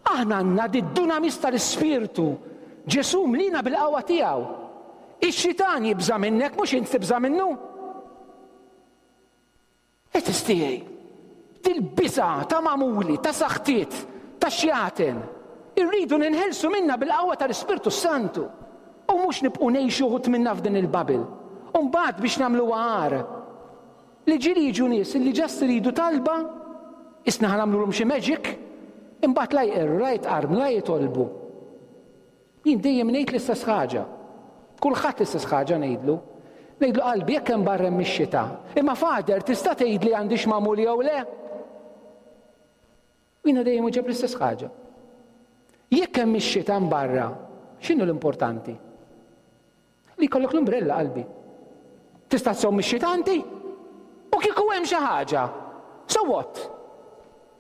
Aħna għandna d-dunamis tal-Ispirtu. Ġesù mlina bil-qawwa tiegħu. Ix-xitan jibża' minnek mhux int tibża' minnu. Għeżież tiegħi, dil-biża' ta' magħmuli, ta' saħtiet, ta' xjaten, irridu ninħelsu minnha bil-qawwa tal-Ispirtu s-Santu u mhux nibqgħu ngħixu uħud minna f'din il-bubble. U mbagħad biex nagħmluha agħar, li ġieli jiġu nies li just iridu talba, isna ħa nagħmlulhom xi magic, imbagħad la jqerru, la jitqarrnu, la jitolbu. Jien dejjem ngħid l-istess ħaġa. Kulħadd l-istess ħaġa ngħidlu. Ngħidlu qalbi jekk hemm barra hemm ix-xita. Imma Father tista' tgħidli għandix magħmul jew le? U jiena dejjem uġeb l-istess ħaġa. Jekk hemm ix-xita barra, x'inhu l-importanti? Li jkollok l-umbrella qalbi. Tista' tżomm ix-xita inti? U kieku hemm xi ħaġa? So what?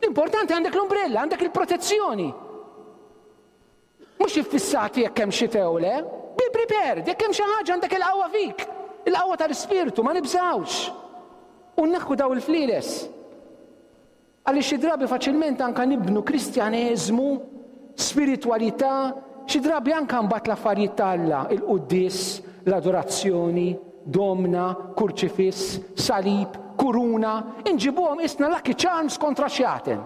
L-importanti għandek l-umbrella, għandek il-protezzjoni. Mhux iffissati jekk hemm xita jew le. Be prepared, jekk hemm xi ħaġa għandek il-qawwa fik. Il-qawwa tal-ispirtu, ma nibżgħux. U nneħħu daw il-flieles. Għaliex xi drabi faċilment anke nibnu Kristjaneżmu, spiritwalità, xi drabi anke mbagħad l-affarijiet ta' Alla, il-quddies, l-adorazzjoni, domna, kurċifiss, salib, kuruna, inġibuhom qisna lucky charms kontra xjaten.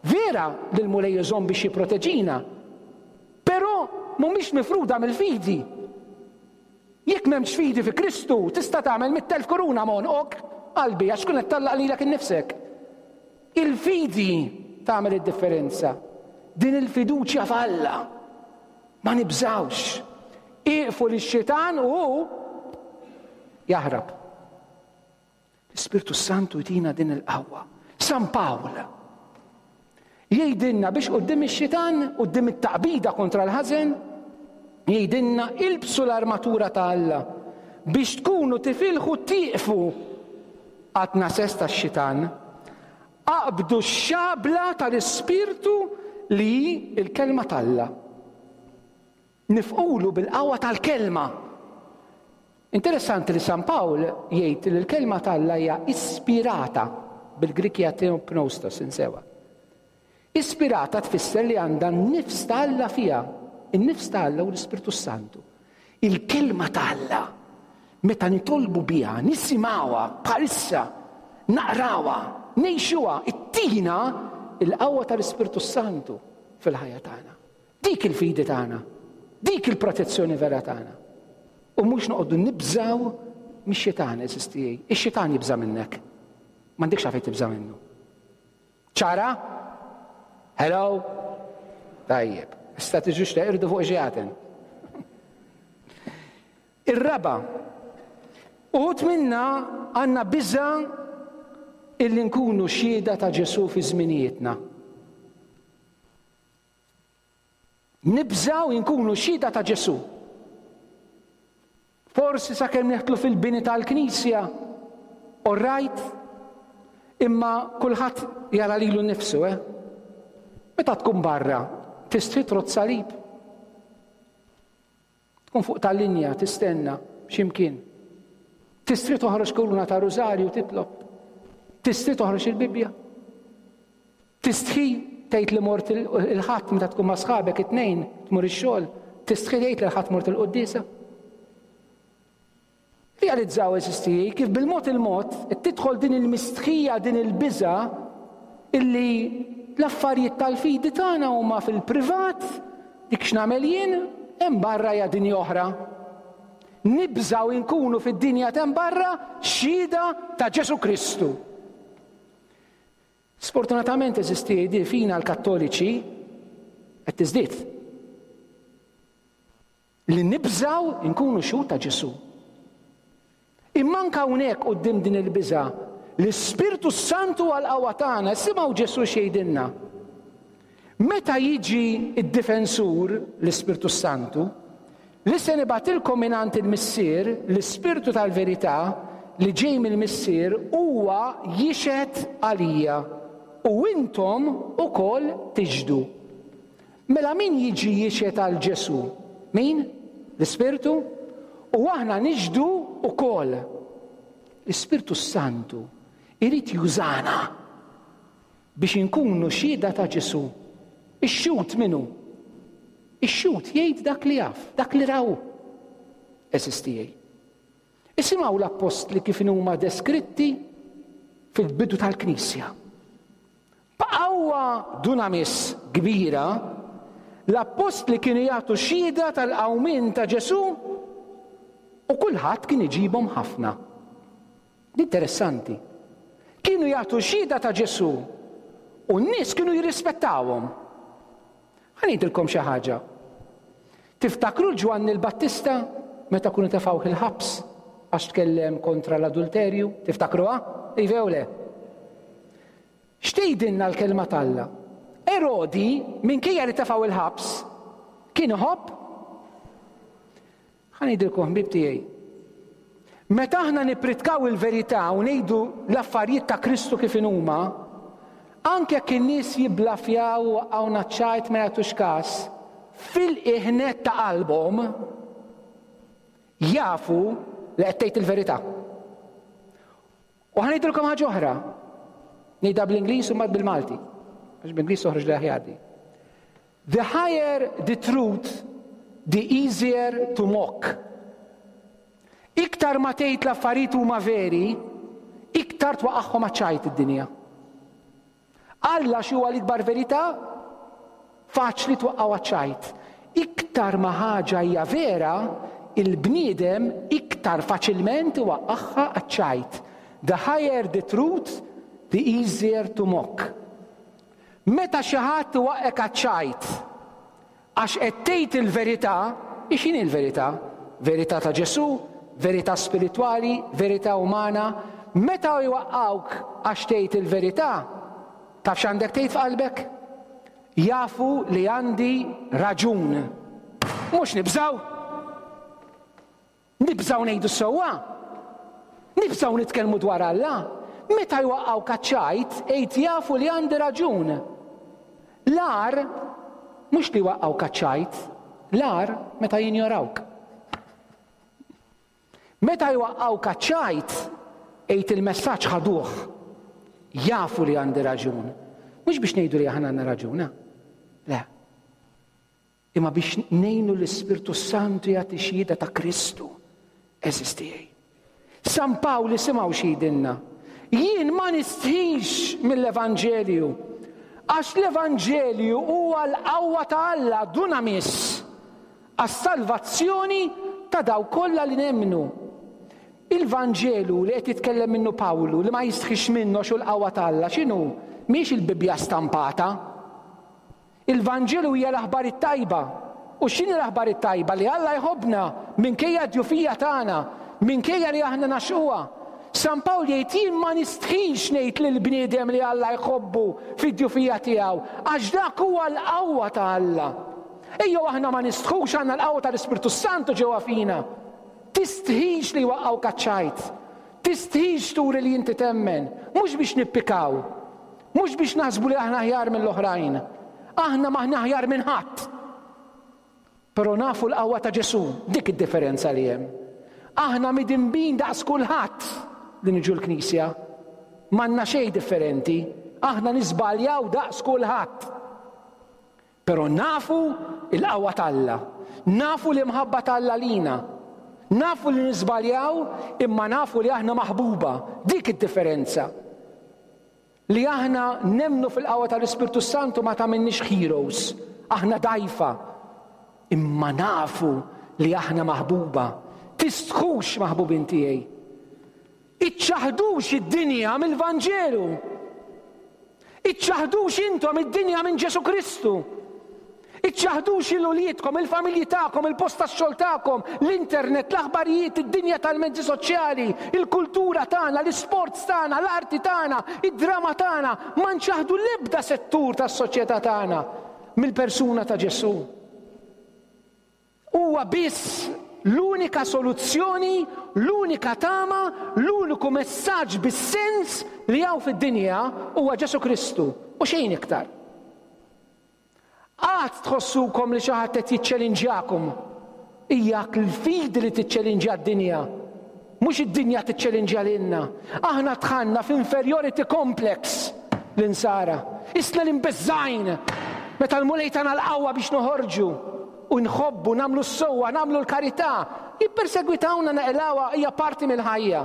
Vera li l-Mulej iżomm biex jipproteġina, però mhumiex mifruda mill-fidi. Jekk m'hemmx fidi fi Kristu, tista' tagħmel 100,000 kuruna m'għonqok, qalbi, għax tkun qed tgħallaq lilek innifsek. Il-fidi tagħmel id-differenza. Din il-fiduċja f'Alla. Ma nibżgħux. Ieqfu lix-xitan u hu jaħrab. L-Ispirtu Santu jtina din il-qawwa. San Pawl jgħidilna biex quddiem ix-xitan, quddiem it-taqbida kontra l-ħażen, jgħidilna ilbsu l-armatura ta' Alla biex tkunu tifilħu tieqfu għat-nases tax-xitan. Aqbdu x-xabla tal-Ispirtu li hi l-kelma t'Alla. Nifqulu bil-qawwa tal-kelma. Interessanti li San Pawl jgħid li l-kelma t'Alla hija ispirata, bil-Grieg hija theopneustos, insewha. Ispirata tfisser li għandha n-nifs ta' Alla fiha. In-nifs ta' Alla hu l-Ispirtu s-Santu. Il-kelma ta' Alla, meta nitolbu biha, nisimgħuha bħalissa, naqrawha, ngħixuha, ittina l-qawwa tal-Ispirtu s-Santu fil-ħajja tagħna. Dik il-fidi tagħna. Dik il-protezzjoni vera tagħna. U mhux noqogħdu nibżgħu mix-xitan, għeżież tiegħi. Ix-xitan jibża' minnek. M'għandekx għalfejn tibża' minnu. Ċara? Hello? Tajjeb. Issa tiġux teqirdu fuq xjaten. Ir-raba', uħud minna għandna biża' illi nkunu xhieda ta' Ġesù fi żminijietna. Nibżgħu nkunu xhieda ta' Ġesù. Forsi sakemm neħtlu fil-bini tal-knisja, all right, imma kulħadd jara lilu nnifsu, eh? Meta tkun barra, tistħi trodd salib. Tkun fuq tal-linja tistenna x'imkien. Tistri toħroġ kuruna ta' rużarju titlob. Tistri toħroġ il-Bibbja. Tistħi tgħid li mort il-Ħadd meta tkun ma' sħabek it-tnejn tmur ix-xogħol, tistħi tgħid li l-Ħadd mort il-quddiesa. Realizzaw eżisti kif bil-mod il-mod tidħol din il-mistħija, din il-biża illi l-affarijiet tal-fidi tagħna huma fil-privat, dik x'nagħmel jien, hemm barra hija dinja oħra. Nibżgħu nkunu fid-dinja t'hemm barra xhieda ta' Ġesù Kristu. Sfortunatament eżisti di fina l-Kattoliċi qed tiżdied. Li nibżgħu nkunu xhud ta' Ġesù. Imma anke hawnhekk quddiem din il-biża', l-Ispirtu s-Santu huwa l-qawwa tagħna. Isimgħu Ġesù x'jgħidilna. Meta jiġi d-Difensur, l-Ispirtu s-Santu, li se nibgħatilkom mingħand il-Missier, l-Ispirtu tal-verità, li ġej mill-Missier, huwa jixhed għalija, u intom ukoll tixhdu. Mela min jiġi jixhed għal Ġesù? Min? L-Ispirtu? U aħna nixhdu wkoll. L-Ispirtu s-Santu irid jużana biex inkunu xhieda ta' Ġesù. Ix-xhud min hu? Ix-xhud jgħid dak li jaf, dak li ra hu. Għeżież tiegħi. Isimgħu l-appostli kif inhuma deskritti fil-bidu tal-Knisja. B'qawwa dunamis kbira, l-appostli kienu jagħtu xhieda tal-qawmien ta' Ġesù u kulħadd kien iġibhom ħafna. Interessanti. Kienu jagħtu xhieda ta' Ġesù u n-nies kienu jirrispettawhom. Ħa ngħidilkom xi ħaġa. Tiftakru l-Ġwanni l-Battista meta kienu tefgħuh il-ħabs għax tkellem kontra l-adulterju? Tiftakruha? Iva jew le? X'tgħidilna l-kelma t'Alla? Erodi, minkejja li tefgħu il-ħabs, kien iħobb? Ħa ngħidilkom ħbieb tiegħi. Meta aħna nippritkaw il-verità u ngħidu l-affarijiet ta' Kristu kif inhuma, anke jekk in-nies jibblafjaw u waqqgħuna ċ-ċajt ma jagħtux każ, fil-qiegħ nett ta' qalbhom jafu li qed tgħid il-verità. U ħa ngħidilkom ħaġa oħra. Ngħidha bl-Ingliż u mbagħad bil-Malti. Għax bl-Ingliż toħroġ li aħjar di. The higher the truth, the easier to mock. Iktar ma tgħid l-affarijiet huma veri, iktar twaqagħhom għaċ-ċajt id-dinja. Alla xi huwa l-ikbar verità? Faċli twaqqgħu għaċ-ċajt. Iktar ma ħaġa hija vera, il-bniedem iktar faċilment iwaqqagħha għaċ-ċajt. The higher the truth, the easier to mock. Meta xi ħadd iwaqqgħek għaċ-ċajt, Għax qed tgħid il-verità, hi x'inhi l-verità? Verità ta' Ġesù, verità spiritwali, verità umana. Meta jwaqqgħuk għax tgħid il-verità, taf x'għandek tgħid f'qalbek? Jafu li għandi raġun. Mhux nibżgħu? Nibżgħu ngħidu s-sewwa? Nibżgħu nitkellmu dwar Alla? Meta jwaqqgħuk għaċ-ċajt, għid jafu li għandi raġun. L-agħar mhux li jwaqqgħuk għaċ-ċajt, l-agħar meta jinjorawk. Meta jwaqqgħuk għaċ-ċajt, għid il-messaġġ ħaduh. Jafu li għandi raġun. Mhux biex ngħidu li aħna għandna raġun, eh? Le. Imma biex ngħinu l-Ispirtu Santu jagħti xhieda ta' Kristu, għeżież tiegħi. San Pawl isimgħu x'jgħidilna. Jien ma nistħix mill-Evanġelju, għax l-Evanġelju huwa l-qawwa ta' Alla, dunamis, għas-salvazzjoni ta' dawk kollha li nemmnu. Il-Vanġelu li qed jitkellem minnu Pawlu, li ma jistħix minnu għax hu l-qawwa ta' Alla, x'inhu? Mhijiex il-Bibbja stampata. Il-Vanġelu hija l-aħbar it-tajba. U x'inhi l-aħbar it-tajba? Li Alla jħobbna minkejja d-djufija tagħna, minkejja li aħna nagħxquha. San Pawl jgħid jien ma nistħix ngħid lill-bniedem li Alla jħobbu fid-djufija tiegħu, għax dak huwa l-qawwa ta' Alla. Ejjew aħna ma nistħux għandna l-qawwa tal-Ispirtu s-Santu ġewwa fina. Tistħix li jwaqqgħuk għaċ-ċajt. Tistħix turi li inti temmen, mhux biex nippikaw, Mhux biex naħsbu li aħna aħjar mill-oħrajn. Aħna m'aħna aħjar minn ħadd. Però nafu l-qawwa ta' Ġesù, dik id-differenza li hemm. Aħna midinbin daqs kulħadd li niġu l-knisja. M'għandna xejn differenti. Aħna niżbaljaw daqs kulħadd. Però nafu l-qawwa t'Alla. Nafu l-imħabba t'Alla lina. Nafu li niżbaljaw imma nafu li aħna maħbuba. Dik id-differenza. Li aħna nemmnu fil-qawwa tal-Ispirtu s-Santu ma tagħmilniex heroes. Aħna dgħajfa. Imma nafu li aħna maħbuba. Tistħux maħbubin tiegħi. Iċċaħdux id-dinja mill-Vanġelu. Iċċaħdux intom id-dinja minn Ġesù Kristu. Iċċaħdux lil uliedkom, il-familji tagħkom, il-post tax-xogħol tagħkom, l-internet, l-aħbarijiet, id-dinja tal-mezzi soċjali, il-kultura tagħna, l-isports tagħna, l-arti tagħna, id-drama tagħna. Ma nċaħdu l-ebda settur tas-soċjetà tagħna mill-persuna ta' Ġesù. Huwa biss l-unika soluzzjoni, l-unika tama, l-uniku messaġġ bis-sens li hawn fid-dinja huwa Ġesù Kristu u xejn iktar. Qatt tħossukom li xi ħadd qed jiċċelinġjakom. Hija l-fidi li tiċċelinġja d-dinja. Mhux id-dinja tiċċelinġja lilna. Aħna dħalna f'inferiority complex l-insara. Isna li mbeżżgħin meta l-Mulej tana l-qawwa biex noħorġu u nħobbu, nagħmlu s-sewwa, nagħmlu l-karità. Jippersegwitawna naqilgħuha hija parti mill-ħajja.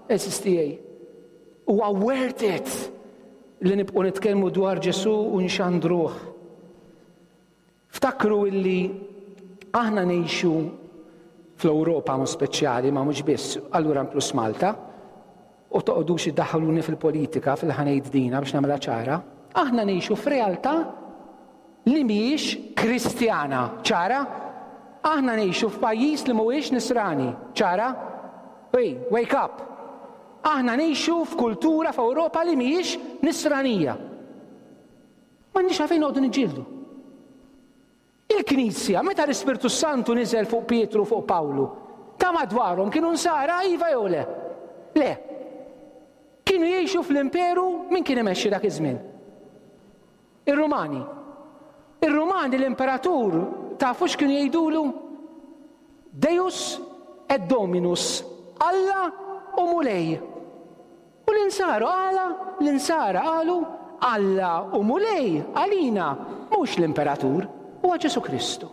Għeżież tiegħi. Huwa worth it li nibqgħu nitkellmu dwar Ġesù u nxandruh. Ftakru illi aħna ngħixu fl-Ewropa mhux speċjali, ma mhux biss, allura inkluż Malta, u toqgħodux iddaħħluni fil-politika fil-ħanejt dina biex nagħmilha ċara, aħna ngħixu f'realtà li mhijiex Kristjana. Ċara? Aħna ngħixu f'pajjiż li mhuwiex Nisrani. Ċara? Ej, wake up! Aħna ngħixu f'kultura f'Ewropa li mhijiex Nisranija. M'għandniex għalfejn noqogħdu niġġieldu. Il-Knisja, meta l-Ispirtu Santu niżel fuq Pietru u fuq Pawlu, Ta' madwarhom kienu nsara iva jew le? Le. Kienu jgħixu fl-imperu min kien imexxi dak iż-żmien? Ir-Rumani. Ir-Rumani l-imperatur tafu x'kienu jgħidulu? Deus et Dominus, Alla u Mulej. U l-Insara għala? L-Insara qalu Alla u Mulej għalina mhux l-imperatur, huwa Ġesù Kristu.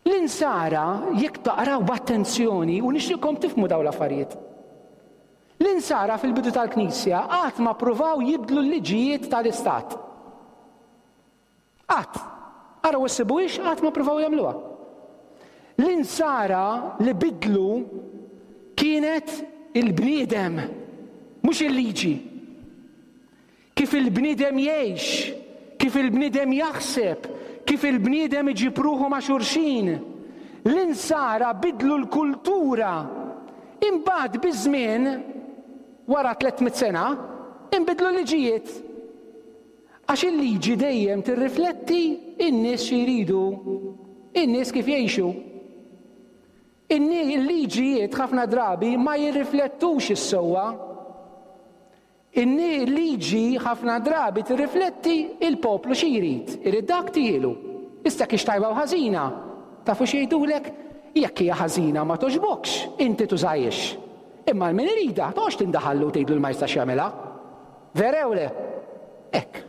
L-Insara, jekk taqraw b'attenzjoni, u nixtieqkom tifhmu dawn l-affarijiet. L-Insara fil-bidu tal-Knisja qatt ma ppruvaw jibdlu l-liġijiet tal-Istat. Qatt. Araw issibuhiex qatt ma ppruvaw jagħmluha. L-Insara li bidlu kienet il-bniedem, mhux il-liġi. Kif il-bniedem jgħix, kif il-bniedem jaħseb, kif il-bniedem iġib ruħu ma' xulxin. L-Insara bidlu l-kultura. Imbagħad biż-żmien, wara 300 sena, inbidlu l-liġijiet. Għax il-liġi dejjem tirrifletti n-nies xi jridu, in-nies kif jgħixu. Il-liġijiet ħafna drabi ma jirriflettux is-sewwa. Il-liġi ħafna drabi tirrifletti il-poplu xi jrid, irid dak tihielu. Issa jekk hix tajba u ħażina, tafu x'jgħidulek? Jekk hija ħażina ma togħġbokx, inti tużahiex. Imma 'l min iridha, toqgħodx tindaħallu u tgħidlu li ma jistax jagħmilha. Vera jew le? Hekk.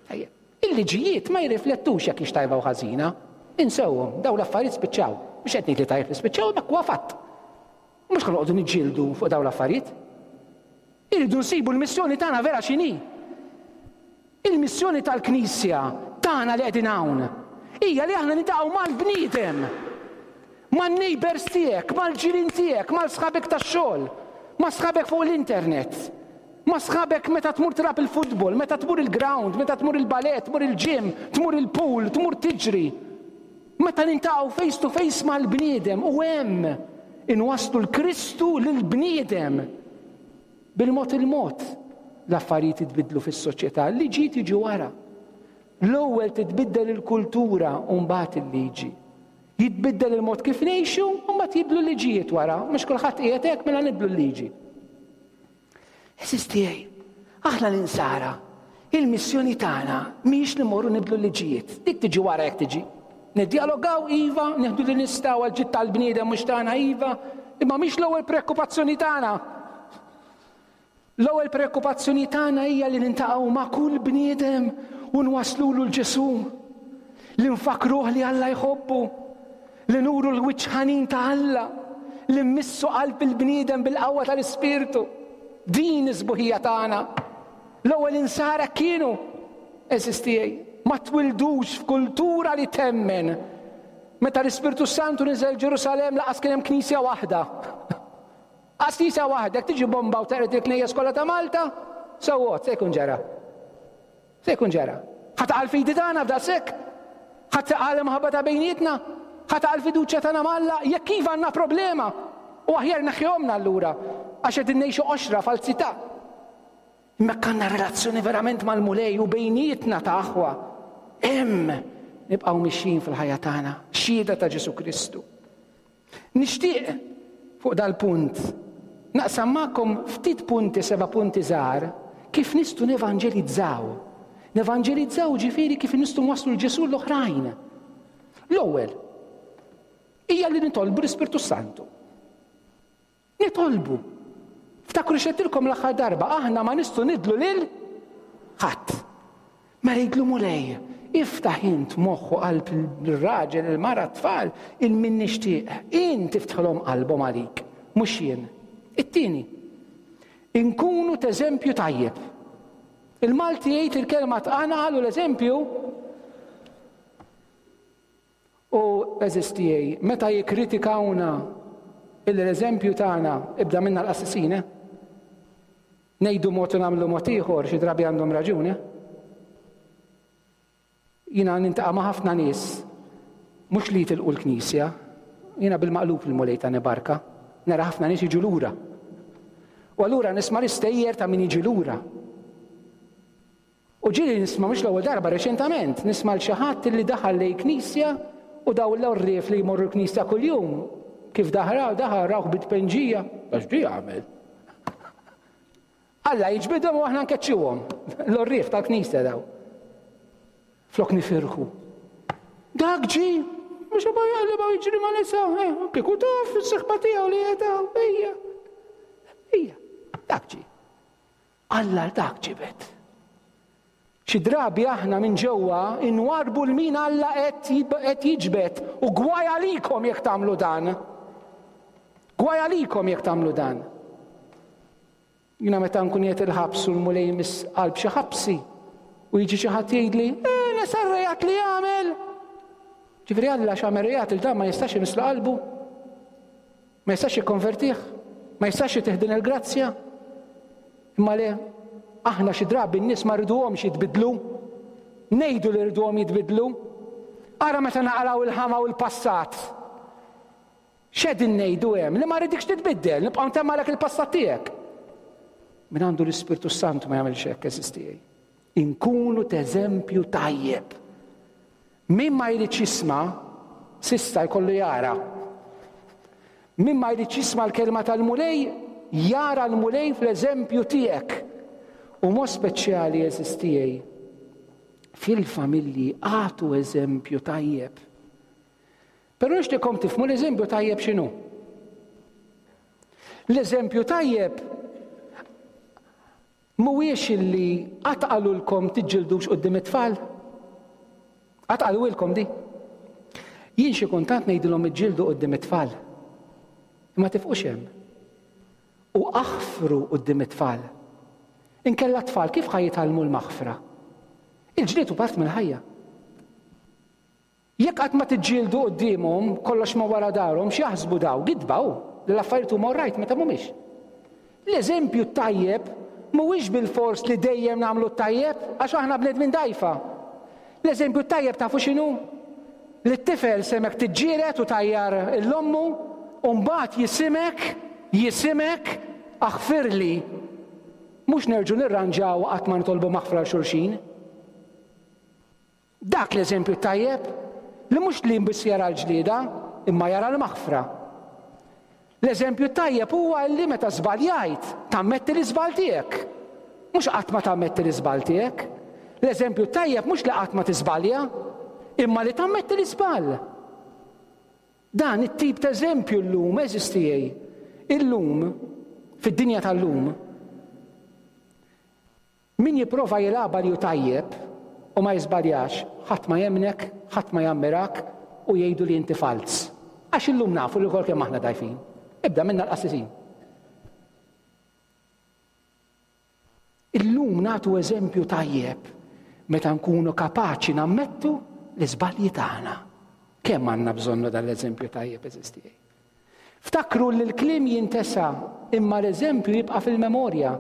Tajjeb. Il-liġijiet ma jirriflettux jekk hix tajba u ħażina. Insewhom, dawn l-affarijiet spiċċaw. Mhux qed ngħid li tajjeb li spiċċaw, imma hekk huwa fatt. Mhux ħa noqogħdu niġġieldu fuq dawn l-affarijiet. Irridu nsibu l-missjoni tagħna vera x'inhi. Il-missjoni tal-Knisja tagħna li qegħdin hawn hija li aħna nintaqgħu mal-bniedem, man-neighbors tiegħek, mal-ġirien tiegħek, mal-sħabek tax-xogħol, ma' sħabek fuq l-internet, ma' sħabek meta tmur tilgħab il-futbol, meta tmur il-ground, meta tmur il-ballet, tmur il-gym, tmur il-pool, tmur tiġri. Meta nintaqgħu face to face mal-bniedem u hemm inwasslu l-Kristu lill-bniedem. Bil-mod il-mod l-affarijiet jitbiddlu fis-soċjetà, l-liġijiet jiġu wara. L-ewwel titbiddel il-kultura u mbagħad il-liġi. Jitbiddel il-mod kif ngħixu u mbagħad jibdlu l-liġijiet wara. Mhux kulħadd qiegħed hekk mela nibdlu l-liġi. Għeżież tiegħi, aħna l-insara, il-missjoni tagħna mhijiex li mmorru nibdlu l-liġijiet. Dik tiġi wara jekk tiġi. Niddjalogaw iva, nieħdu li nistgħu għal ġid tal-bniedem mhux tagħna iva, imma mhix l-ewwel preokkupazzjoni tagħna. L-ewwel preokkupazzjoni tagħna hija li nintaqgħu ma' kull bniedem u nwaslulu l-Ġesù. Li nfakkruh li Alla jħobbu. Li nuru l-wiċċ ħanin ta' Alla, li mmissu qalb il-bniedem bil-qawwa tal-Ispirtu. Din is-sbuħija tagħna. L-ewwel insara kienu, għeżież tiegħi, ma twildux f'kultura li temmen. Meta l-Ispirtu Santu niżel Ġerusalemm laqas kien hemm knisja waħda. Qas knisja waħda, jekk tiġi bomba u teqred il-knejjes kollha ta' Malta, so what, se jkun ġara. Se jkun ġara. Ħa taqa' l-fidi tagħna f'daqshekk? Ħa taqa' l-imħabba ta' bejnietna? Ħa taqa' l-fiduċja tagħna m'Alla? Jekk iva għandna problema. U aħjar neħħihomna allura għax qegħdin ngħixu qoxra falzità. Imma jekk għandna relazzjoni verament mal-Mulej u bejnietna ta' aħwa, hemm nibqgħu mixjin fil-ħajja tagħna, xhieda ta' Ġesù Kristu. Nixtieq fuq dal-punt naqsam magħkom ftit punti, seba' punti żgħar, kif nistgħu nevanġelizzaw. Nevanġelizzaw ġifieri kif nistgħu nwasslu l-Ġesù l-oħrajn. L-ewwel hija li nitolbu l-Ispirtu Santu. Nitolbu. Ftakru x'għedtilkom l-aħħar darba, aħna ma nistgħu nidlu lil ħadd. Mela jgħidlu Mulej, iftaħ int moħħ u qalb ir-raġel, il-mara, t-tfal, il min nixtieq. Int iftħilhom qalbhom għalik, mhux jien. It-tieni, inkunu t'eżempju tajjeb. Il-Malti jgħid il-kelma tqanqal u l-eżempju U, għeżież tiegħi, meta jikkritikawna illi l-eżempju tagħna, ibda minna l-qassisin, eh? Ngħidu mod u nagħmlu mod ieħor, xi drabi għandhom raġun, eh? Jiena nintaqa' ma' ħafna nies, mhux li jitilqu l-knisja, jiena bil-maqlub il-Mulej tani barka, nara ħafna nies jiġu lura. U allura nisma' l-istejjer ta' min jiġi lura. U ġieli nisma' mhux l-ewwel darba reċentament, nisma' 'l xi ħadd li daħal lejn knisja u dawn l-għorrief li jmorru l-knisja kuljum. Kif daħra, daħal rawh bit-tpenġija, għax di għamel. Alla jiġbidhom u aħna nkeċċuhom. L-orrief tal-knisja daw. Flok nifirħu. Dak ġi, mhux ma jaqlibha jiġri ma' nisa, eh, kieku taf is-seħba tiegħu li qiegħda, ejja. Ejja, dak ġi. Alla dak ġibed. Xi drabi aħna minn ġewwa inwarbu l min Alla qed jiġbed u gwaj għalikom jekk tagħmlu dan. Gwaj għalikom jekk tagħmlu dan. Jiena meta nkun qiegħed il-ħabs u l-Mulej imiss qalb xi ħabsi u jiġi xi ħadd jgħidli, eh, nesa r-reat li għamel! Ġifieri Alla x'għamel reat il dan ma jistax imisslu qalbu? Ma jistax jikkonvertih? Ma jistax jitih din il-grazzja? Imma le, aħna xi drabi n-nies ma rriduhomx jitbidlu. Ngħidu li rriduhom jitbidlu. Ara meta naqalgħu il-ħama u l-passat. X'qegħdin ngħidu hemm? Li ma rridikx titbiddel, nibqa' ntemmalek il-passat tiegħek. Min għandu l-Ispirtu Santu ma jagħmilx hekk, għeżież tiegħi. Inkunu t'eżempju tajjeb. Min ma jridx jisma', s'issa jkollu jara. Min ma jridx jisma' l-kelma tal-Mulej, jara l-Mulej fl-eżempju tiegħek. U mod speċjali, għeżież tiegħi, fil-familji agħtu eżempju tajjeb. Però nixtieqkom tifhmu l-eżempju tajjeb x'inhu. L-eżempju tajjeb mhuwiex illi qatt qalulkom tiġġildux quddiem it-tfal. Qatt qalulkom di. Jien xi kuntant ngħidilhom iġġieldu quddiem it-tfal. Imma tifqux hemm. U aħfru quddiem it-tfal. Inkella t-tfal kif ħa jitgħallmu l-maħfra? Il-ġlied hu part mill-ħajja. Jekk qatt ma tiġġieldu quddiemhom, kollox ma' wara darhom, x'jaħsbu daw? Gidba hu, li l-affarijiet huma orrajt meta mhumiex. L-eżempju t-tajjeb mhuwiex bilfors li dejjem nagħmlu t-tajjeb, għax aħna bnedmin dgħajfa. L-eżempju t-tajjeb tafu x'inhu? Li t-tifel semgħek tiġġieled u tgħajjar 'l ommu u mbagħad jisimgħek, jisimgħek, aħfirli. Mhux nerġgħu nirranġaw u qatt ma nitolbu maħfra 'l xulxin. Dak l-eżempju tajjeb li mhux li biss jara l-ġlieda, imma jara l-maħfra. L-eżempju tajjeb huwa li meta żbaljajt, tammetti l-iżball tiegħek. Mhux qatt ma tammetti l-iżball tiegħek. L-eżempju tajjeb mhux li qatt ma tiżbalja, imma li tammetti l-iżball. Dan it-tip ta' eżempju llum, għeżież tiegħi, illum, fid-dinja tal-lum, Min jipprova jilgħabha li hu tajjeb u ma jiżbaljax, ħadd ma jemmnek, ħadd ma jammirak u jgħidu li inti falz. Għax illum nafu li lkoll kemm aħna dgħajfin. Ibda minna l-qassisin. Illum nagħtu eżempju tajjeb meta nkunu kapaċi nammettu l-iżbalji tagħna. Kemm għandna bżonnu dan l-eżempju tajjeb eżistijaj. Ftakru li l-kliem jintesa imma l-eżempju jibqa' fil-memorja.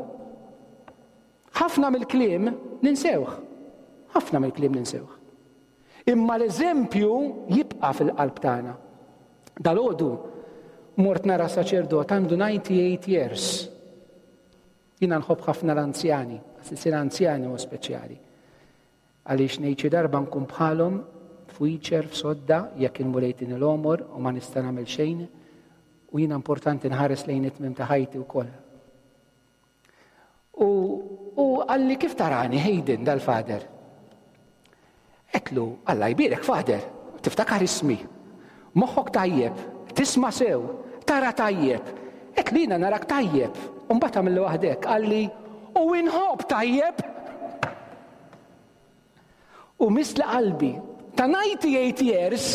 Ħafna mill-kliem ninsewh. Ħafna mill-kliem ninsewh. Imma l-eżempju jibqa' fil-qalb tagħna. Dalgħodu mort nara saċerdot għandu 98 years. Jiena nħobb ħafna l-anzjani, għas anzjani u speċjali. Għaliex ngħid xi darba nkun bħalhom f'wheelchair f'sodda jekk il-Mulej tini l-għomor u ma nista' nagħmel xejn u jiena importanti nħares lejn it-tmiem ta' ħajti wkoll. U, u qalli kif tarani Hayden dal-fader? Għedtlu, Alla jbierek fader, tiftakar ismi. Moħħok tajjeb, tisma' sew, tara tajjeb. Għedtlu jiena narak tajjeb. U mbagħad għamilli waħdek, qalli, u inħobb tajjeb. U misli qalbi. Ta' 98 years,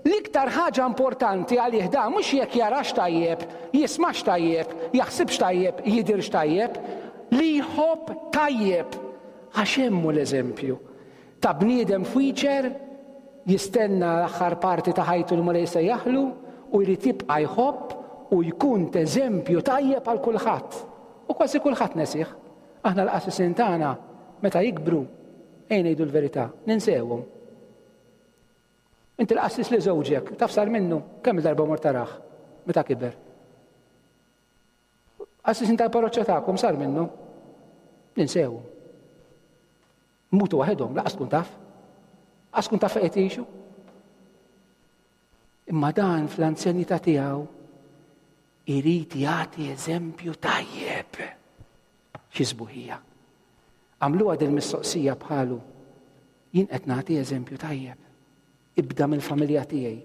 l-iktar ħaġa importanti għalih da mhux jekk jarax tajjeb, jismax tajjeb, jaħsibx tajjeb, jidhirx tajjeb, li jħobb tajjeb. Għax hemm hu l-eżempju ta' bniedem f'wheelchair jistenna l-aħħar parti ta' ħajtu l-Mulej jsejjaħlu u jrid jibqa' jħobb u jkun t'eżempju tajjeb għal kulħadd. U kważi kulħadd nesih. Aħna l-qassisin tagħna meta jikbru, ejja ngħidu l-verità, ninsewhom. Inti l-qassis li żewġek, taf sar minnu, kemm darba mort tarah meta kiber. Qassisin tal-parroċċa tagħkom sar minnu. Ninsewhom. Mutu waħedhom, laqas tkun taf. Laqas tkun taf fejn qed jgħixu. Imma dan fl-anzjanità tiegħu irid jagħti eżempju tajjeb. Xi sbuħija. Għamluha din mistoqsija bħalu. Jien qed nagħti eżempju tajjeb. Ibda mill-familja tiegħi.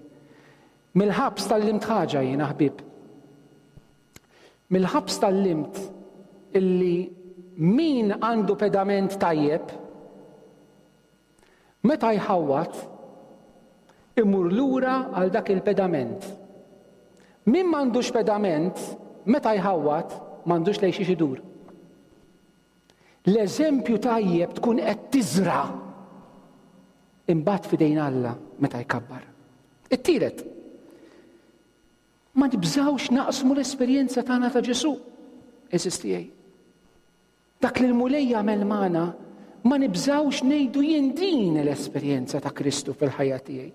Mill-ħabs tgħallimt ħaġa jiena ħbieb. Mill-ħabs tgħallimt illi min għandu pedament tajjeb, meta jħawwad, imur lura għal dak il-pedament. Min m'għandux pedament, meta jħawwad, m'għandux lejn xiex idur. L-eżempju tajjeb tkun qed tiżra' imbagħad f'idejn Alla meta jkabbar. It-tielet, ma nibżgħux naqsmu l-esperjenza tagħna ta' Ġesù, għeżież tiegħi. Dak li l-Mulej jagħmel magħna, ma nibżgħux ngħidu jien din l-esperjenza ta' Kristu fil-ħajja tiegħi.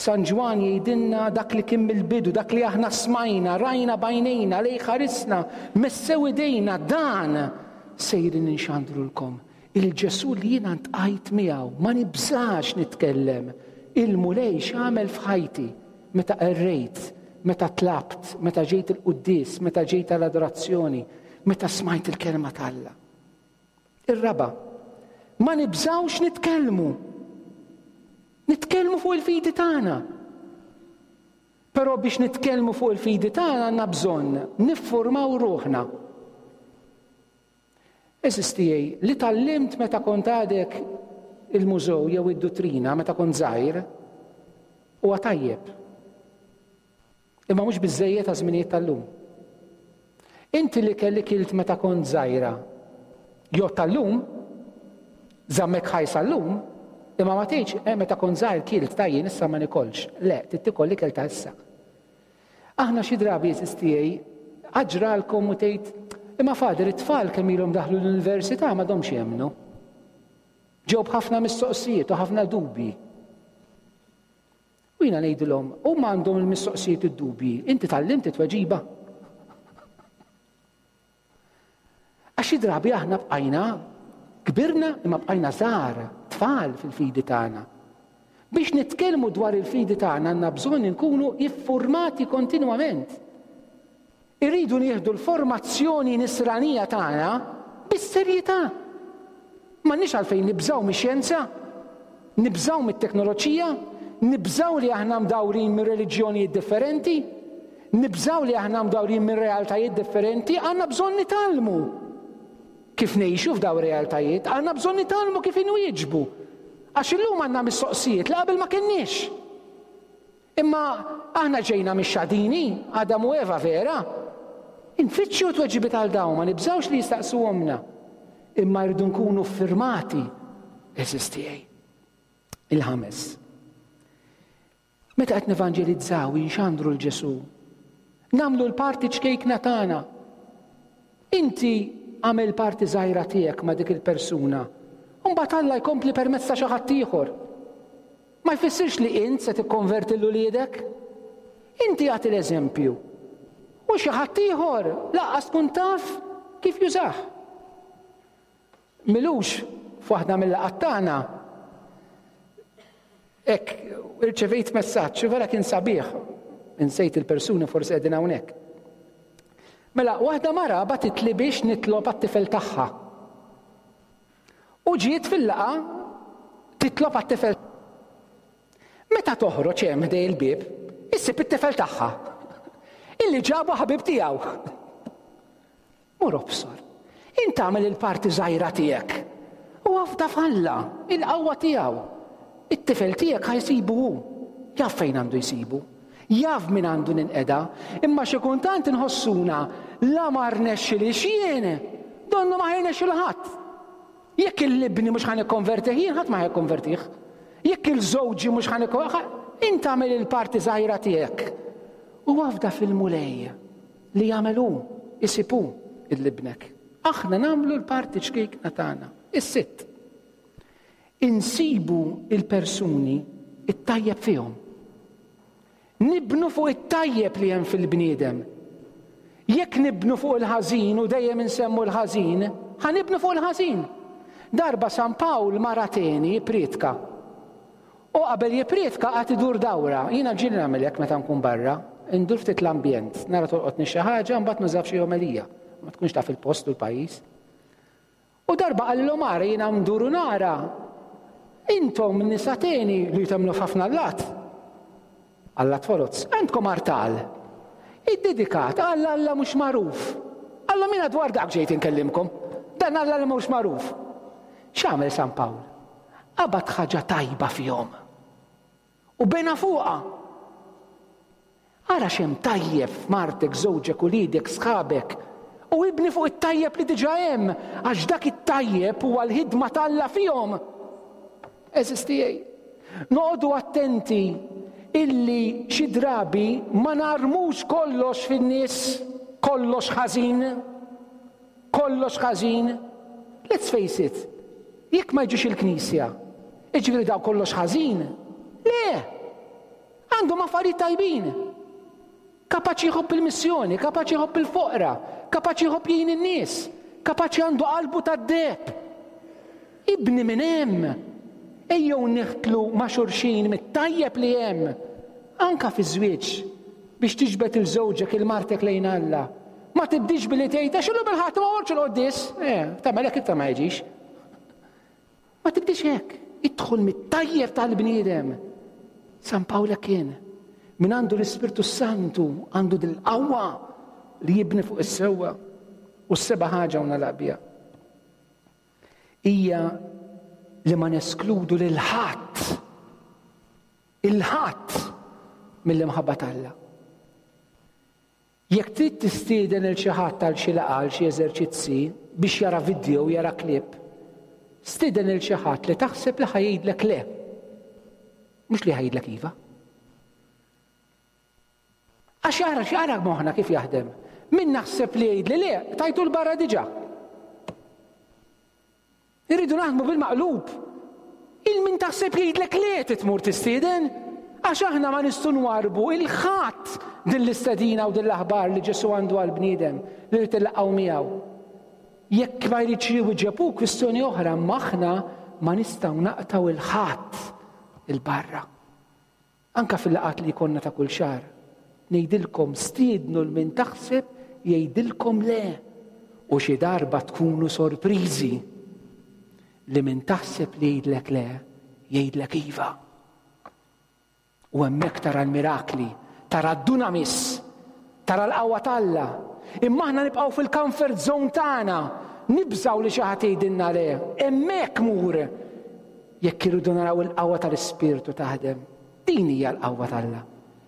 San Ġwann jgħidilna dak li kien mill-bidu, dak li aħna smajna, rajna b'għajnejna, lejh ħarisna, messew idejna, dan sejrin inxandrulkom. Il-Ġesù li jiena ntqajt miegħu, ma nibżax nitkellem. Il-Mulej x'għamel f'ħajti meta qerrejt, meta tlabt, meta ġejt il-quddies, meta ġejt għall-adorazzjoni, meta smajt il-kelma t'Alla. Ir-raba', ma nibżgħux nitkellmu. Nitkellmu fuq il-fidi tagħna. Però biex nitkellmu fuq il-fidi tagħna għandna bżonn niffurmaw ruħna. Eżis tiegħi, li tgħallimt meta kont għadek il-mużew jew id-duttrina meta kont żgħir huwa tajjeb. Imma mhux biżżejjed għaż-żminijiet tal-lum. Inti l-ikel li kilt meta kont żgħira jgħodd għal-lum, żammek ħaj sal-lum, imma ma tgħidx, eh meta kont żgħir kilt ta' jien issa ma nikolx. Le, trid tikol l-ikel ta' issa. Aħna xi drabi għeżież tiegħi, aġralkom u tgħid, imma Father it-tfal kemm ilhom daħlu l-università m'għadhomx jemmnu. Ġew b'ħafna mistoqsijiet u ħafna dubji. U jiena ngħidilhom, huma għandhom il-mistoqsijiet u d-dubji, inti tgħallimt it-tweġiba? Għax xi drabi aħna bqajna kbirna imma bqajna żgħar, tfal fil-fidi tagħna. Biex nitkellmu dwar il-fidi tagħna għandna bżonn inkunu iffurmati kontinwament. Irridu nieħdu l-formazzjoni nisranija tagħna bis-serjetà. M'għandniex għalfejn nibżgħu mix-xjenza, nibżgħu mit-teknoloġija, nibżgħu li aħna mdawrin minn reliġjonijiet differenti, nibżgħu li aħna mdawrin minn realtajiet differenti, għandna bżonn nitgħallmu kif ngħixu f'dawn ir-realtajiet, għandna bżonn nitgħallmu kif inwieġbu. Għax illum għandna mistoqsijiet li qabel ma kenniex. Imma aħna ġejna mix-xadini, Adam u Eva vera? Infittxu tweġibiet għal dawn, ma nibżgħux li jistaqsuhomlna. Imma rridu nkunu ffirmati, għeżież tiegħi. Il-ħames. Meta qed nevanġelizzaw, inxandru 'l Ġesù, nagħmlu l-parti ċkejkna tagħna. Inti agħmel parti żgħira tiegħek ma' dik il-persuna, u mbagħad Alla jkompli permezz ta' xi ħadd ieħor. Ma jfissirx li int se tikkonverti 'l uliedek. Inti agħti l-eżempju. U xi ħadd ieħor lanqas tkun taf kif jużah. M'ilux f'waħda mil-laqgħat tagħna hekk irċevejt messaġġ u vera kien sabiħ. Insejt il-persuni forsi qegħdin hawnhekk. Mela, waħda mara bagħtitli biex nitlob għat-tifel tagħha. U ġiet fil-laqgħa titlob għat-tifel. Meta toħroġ hemm ħdej il-bieb, issib it-tifel tagħha. Illi ġabu ħabib tiegħu. Mur obsor. Int agħmel il-parti żgħira tiegħek. U afda f'Alla, il-qawwa tiegħu. It-tifel tiegħek ħa jsibu hu. Jaf fejn għandu jsibu. Jaf min għandu ninqeda. Imma xi kultant inħossuna la ma rnexxilix jien, donnu ma ħa jirnexxilu ħadd. Jekk il-ibni mhux ħa nikkonvertih jien, ħadd ma ħa jikkonvertih. Jekk il-żewġi mhux ħa int agħmel il-parti żgħira tiegħek. U afda fil-Mulej li jagħmel hu, isib hu l-ibnek. Aħna nagħmlu l-parti ċkejkna tagħna. Is-sitt. Insibu il-persuni it-tajjeb fihom. Nibnu fuq it-tajjeb li hemm fil-bniedem. Jekk nibnu fuq il-ħażin u dejjem insemmu l-ħażin, ħa nibnu fuq il-ħażin. Darba San Pawl mar Ateni jipprietka. U qabel jipprietka qagħad idur dawra. Jiena ġieli nagħmel hekk meta nkun barra, indur ftit l-ambjent, nara tolqotni xi ħaġa, mbagħad nuża f'xi omelija. Ma tkunx taf il-post u l-pajjiż. U darba qalilhom ara jiena ndur u nara intom nisa teni li temmnu f'ħafna allat. Allat foloz. Għandkom artal. Iddedikat għal Alla mhux magħruf. Alla mina dwar dak ġejt inkellimkom. Dan Alla li mhux magħruf. X'għamel San Pawl? Qabad ħaġa tajba fihom. U bena fuqha. Ara x'hemm tajjeb f'martek, żewġek, uliedek, sħabek, u ibni fuq it-tajjeb li diġà hemm, għax dak it-tajjeb huwa l-ħidma t'Alla fihom. Għeżież tiegħi, noqogħdu attenti illi xi drabi ma narmux kollox fin-nies, kollox ħażin. Kollox ħażin. Let's face it, jekk ma jiġux il-knisja, jiġifieri dawn kollox ħażin? Le! Għandhom affarijiet tajbin. Kapaċi jħobb il-missjoni, kapaċi jħobb il-foqra, kapaċi jħobb jgħin in-nies, kapaċi għandu qalbu tad-deheb. Ibni minn hemm. Ejjew niħtlu ma' xulxin mit-tajjeb li hemm. Anka fiż-żwieġ, biex tiġbed il żewġek il martek lejn Alla. Ma tibdix billi tgħid għax illum il-Ħadd ma mortx il-quddies. Eh, tagħmel hekk iktar ma jiġix. Ma tibdix hekk. Idħol mit-tajjeb tal-bniedem. San Pawl hekk kien. Min għandu l-Ispirtu Santu għandu dil-qawwa li jibni fuq is-sewwa. U s-seba' ħaġa u nagħlaq biha. Hija li ma neskludu lil ħadd il-ħadd mill-imħabba t'Alla. Jekk trid tistieden lil xi ħadd għal xi laqgħa għal xi eżerċizzi biex jara vidjow, jara clip, stieden lil xi ħadd li taħseb li ħa jgħidlek le. Mhux li ħa jgħidlek iva. Għax jara x'jara moħħna kif jaħdem. Min naħseb li jgħidli le, tajtu l-barra diġà. Irridu naħdmu bil-maqlub. Il min taħseb jgħidlek le trid tmur tistieden? Għax aħna ma nistgħu nwarrbu 'il ħadd din l-istedina u din l-aħbar li Ġesù għandu għall-bniedem li jrid illaqgħu miegħu. Jekk ma jridx jwieġeb hu kwistjoni oħra, imma aħna ma nistgħu naqtgħu 'il ħadd 'il barra. Anke fil-laqgħat li jkollna ta' kull xahar, ngħidilkom stiednu 'l min taħseb jgħidilkom le u xi darba tkunu sorpriżi li min taħseb li jgħidlek le, jgħidlek iva. U hemmhekk tara l-mirakli, tara d-dunamis, tara l-qawwa t'Alla. Imma aħna nibqgħu fil-comfort zone tagħna, nibżgħu li xi ħadd jgħidilna le. Hemmhekk mur Jekk irridu naraw il-qawwa tal-Ispirtu taħdem, din hija l-qawwa t'Alla.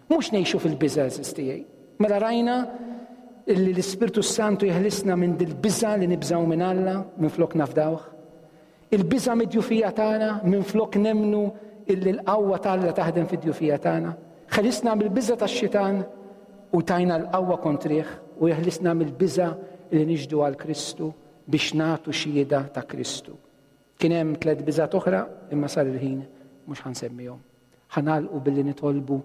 Mhux ngħixu fil-biża' għeżież tiegħi. Mela rajna illi l-Ispirtu s-Santu jeħlisna minn dil-biża' li nibżgħu minn Alla minflok nafdawh. Il-biża' mid-djufija tagħna minflok nemmnu illi l-qawwa t'Alla taħdem fid-djufija tagħna. Ħelisna mill-biża' tax-xitan u tajna l-qawwa kontrih u jeħlisna mill-biża' li nixhdu għal Kristu biex nagħtu xhieda ta' Kristu. Kien hemm tlett biżgħat oħra imma sar il-ħin mhux ħa nsemmihom. Ħa nagħlqu billi nitolbu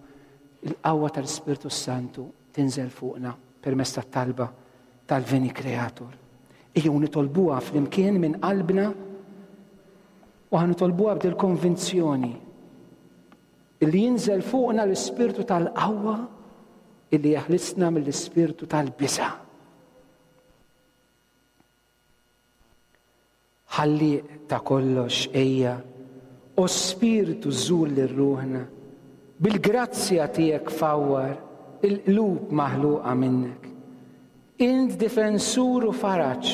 l-qawwa tal-Ispirtu s-Santu tinżel fuqna permezz tat-talba tal-Veni Creator. Ejjew nitolbuha flimkien minn qalbna u ħa nitolbuha b'dil konvinzjoni illi jinżel fuqna l-ispirtu tal-qawwa illi jeħlisna mill-ispirtu tal-biża'. Ħallieq ta' kollox ejja, o Spirtu żur lil ruħna, bil-grazzja tiegħek fawwar il-qlub maħluqa minnek. Int difensur u faraġ,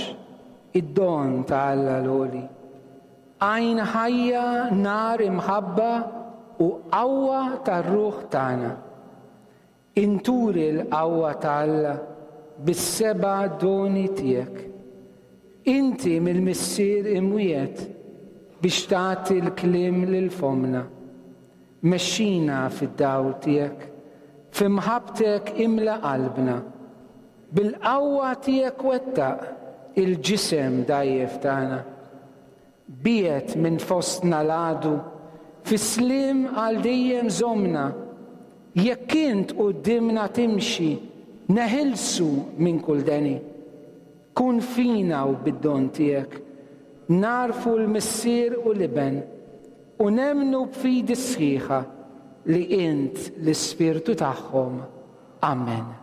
id-don ta' Alla l-Għoli. Għajn ħajja, nar imħabba u qawwa tar-ruħ tagħna. Int uri l-qawwa ta' Alla bis-seba' doni tiegħek. Inti mill-Missier imwiegħed biex tagħti l-kliem lil fommna. Mexxina fid-dawl tiegħek, fi mħabbtek imla qalbna. Bil-qawwa tiegħek wettaq il-ġisem dgħajjef tagħna. Biegħed minn fostna l-għadu, fis-sliem għal dejjem żommna. Jekk int quddiemna timxi, neħilsu minn kull deni. Kun fina u bid-don tiegħek, nagħrfu l-Missier u l-Iben. U nemmnu b'fidi sħiħa li int l-Ispirtu tagħhom. Amen.